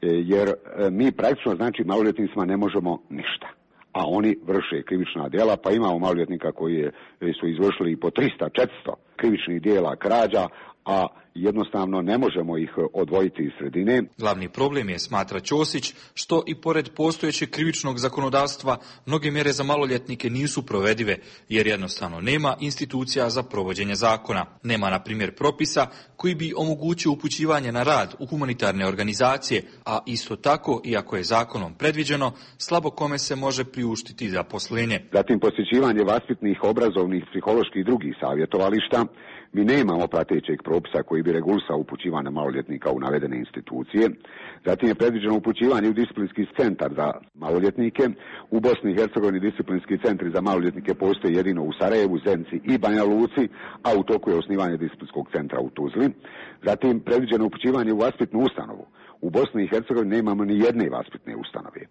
Jer mi praktično, znači, maloljetnicima ne možemo ništa, a oni vrše krivična djela, pa imamo maloljetnika koji je, su izvršili i po tristo četiristo krivičnih djela krađa, a jednostavno ne možemo ih odvojiti iz sredine. Glavni problem je, smatra Ćosić, što i pored postojećeg krivičnog zakonodavstva mnoge mjere za maloljetnike nisu provedive, jer jednostavno nema institucija za provođenje zakona. Nema, na primjer, propisa koji bi omogućio upućivanje na rad u humanitarne organizacije, a isto tako, iako je zakonom predviđeno, slabo kome se može priuštiti zaposlenje. Zatim posjećivanje vaspitnih, obrazovnih, psiholoških i drugih savjetovališta. Mi nemamo pratećeg propisa koji bi regulisao upućivanje maloljetnika u navedene institucije. Zatim je predviđeno upućivanje u disciplinski centar za maloljetnike. U Bosni i Hercegovini disciplinski centri za maloljetnike postoje jedino u Sarajevu, Zenci i Banja Luci, a u toku je osnivanje disciplinskog centra u Tuzli. Zatim predviđeno upućivanje u vaspitnu ustanovu. U Bosni i Hercegovini nemamo ni jedne vaspitne ustanove.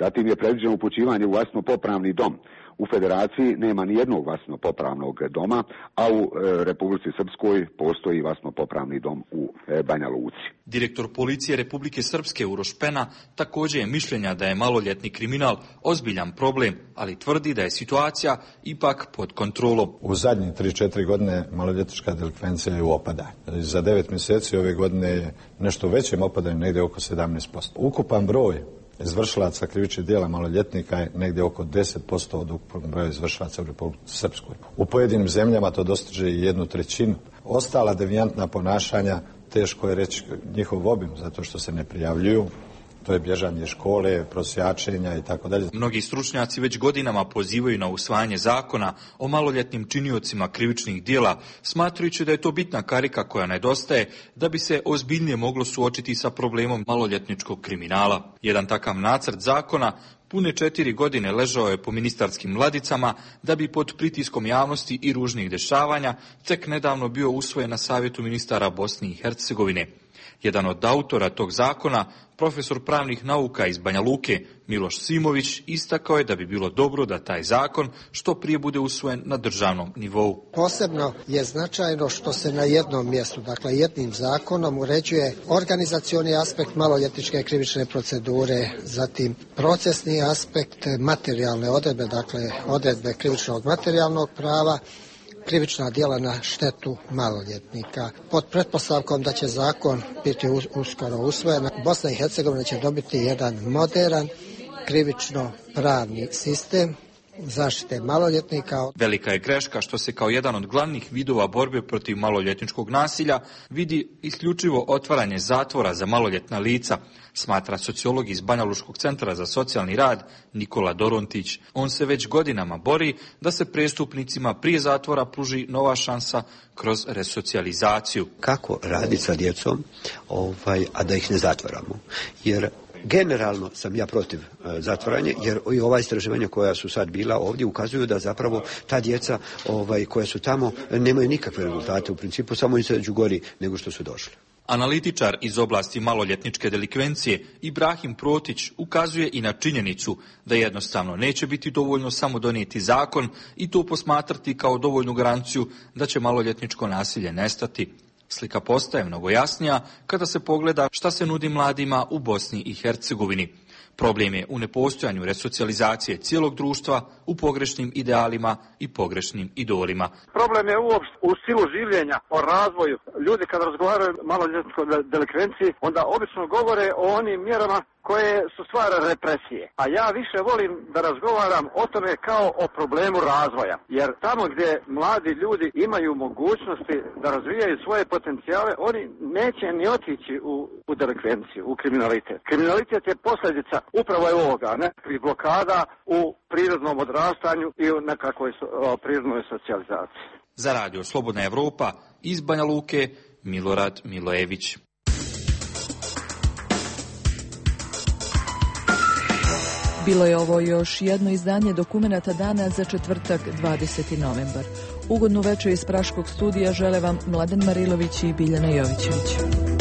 Zatim je predviđeno upućivanje u vaspitno-popravni dom. U Federaciji nema ni jednog vaspitno-popravnog doma, a u e, Republici Srpskoj postoji vaspitno-popravni dom u e, Banja Luci. Direktor policije Republike Srpske Uroš Pena također je mišljenja da je maloljetni kriminal ozbiljan problem, ali tvrdi da je situacija ipak pod kontrolom. U zadnjih tri četiri godine maloljetnička delikvencija je u opadanju. Za devet mjeseci ove godine je nešto većem opadanju, negdje oko sedamnaest posto. Ukupan broj izvršilaca krivičnih djela maloljetnika je negdje oko deset posto od ukupnog broja izvršilaca u Republici Srpskoj. U pojedinim zemljama to dostiže i jednu trećinu. Ostala devijantna ponašanja, teško je reći njihov obim, zato što se ne prijavljuju. To je bježanje škole, prosjačenja i tako dalje. Mnogi stručnjaci već godinama pozivaju na usvajanje zakona o maloljetnim činiocima krivičnih djela, smatrajući da je to bitna karika koja nedostaje da bi se ozbiljnije moglo suočiti sa problemom maloljetničkog kriminala. Jedan takav nacrt zakona pune četiri godine ležao je po ministarskim ladicama da bi pod pritiskom javnosti i ružnih dešavanja tek nedavno bio usvojen na savjetu ministara Bosne i Hercegovine. Jedan od autora tog zakona, profesor pravnih nauka iz Banja Luke, Miloš Simović, istakao je da bi bilo dobro da taj zakon što prije bude usvojen na državnom nivou. Posebno je značajno što se na jednom mjestu, dakle jednim zakonom, uređuje organizacioni aspekt maloljetničke krivične procedure, zatim procesni aspekt, materijalne odredbe, dakle odredbe krivičnog materijalnog prava, krivična djela na štetu maloljetnika. Pod pretpostavkom da će zakon biti uskoro usvojen, Bosna i Hercegovina će dobiti jedan moderan krivično-pravni sistem zaštite maloljetnika. Velika je greška što se kao jedan od glavnih vidova borbe protiv maloljetničkog nasilja vidi isključivo otvaranje zatvora za maloljetna lica, smatra sociolog iz Banja Lučkog centra za socijalni rad Nikola Dorontić. On se već godinama bori da se prestupnicima prije zatvora pruži nova šansa kroz resocijalizaciju. Kako raditi sa djecom, ovaj, a da ih ne zatvaramo? Jer generalno sam ja protiv e, zatvaranja, jer i ova istraživanja koja su sad bila ovdje ukazuju da zapravo ta djeca ovaj, koja su tamo nemaju nikakve rezultate, u principu samo izađu gori nego što su došli. Analitičar iz oblasti maloljetničke delikvencije Ibrahim Protić ukazuje i na činjenicu da jednostavno neće biti dovoljno samo donijeti zakon i to posmatrati kao dovoljnu garanciju da će maloljetničko nasilje nestati. Slika postaje mnogo jasnija kada se pogleda šta se nudi mladima u Bosni i Hercegovini. Problem je u nepostojanju resocijalizacije cijelog društva, u pogrešnim idealima i pogrešnim idolima. Problem je uopšte u stilu življenja, o razvoju. Ljudi kad razgovaraju maloljetničkoj delikvenciji, onda obično govore o onim mjerama koje su stvar represije. A ja više volim da razgovaram o tome kao o problemu razvoja. Jer tamo gdje mladi ljudi imaju mogućnosti da razvijaju svoje potencijale, oni neće ni otići u, u delikvenciju, u kriminalitet. Kriminalitet je posljedica upravo je ovoga, nekakvih blokada u prirodnom odrastanju i u nekakvoj o, prirodnoj socijalizaciji. Za radio Slobodna Evropa iz Banja Luke, Milorad Milojević. Bilo je ovo još jedno izdanje dokumenata dana za četvrtak dvadeseti novembar. Ugodnu večer iz Praškog studija žele vam Mladen Marilović i Biljana Jovićević.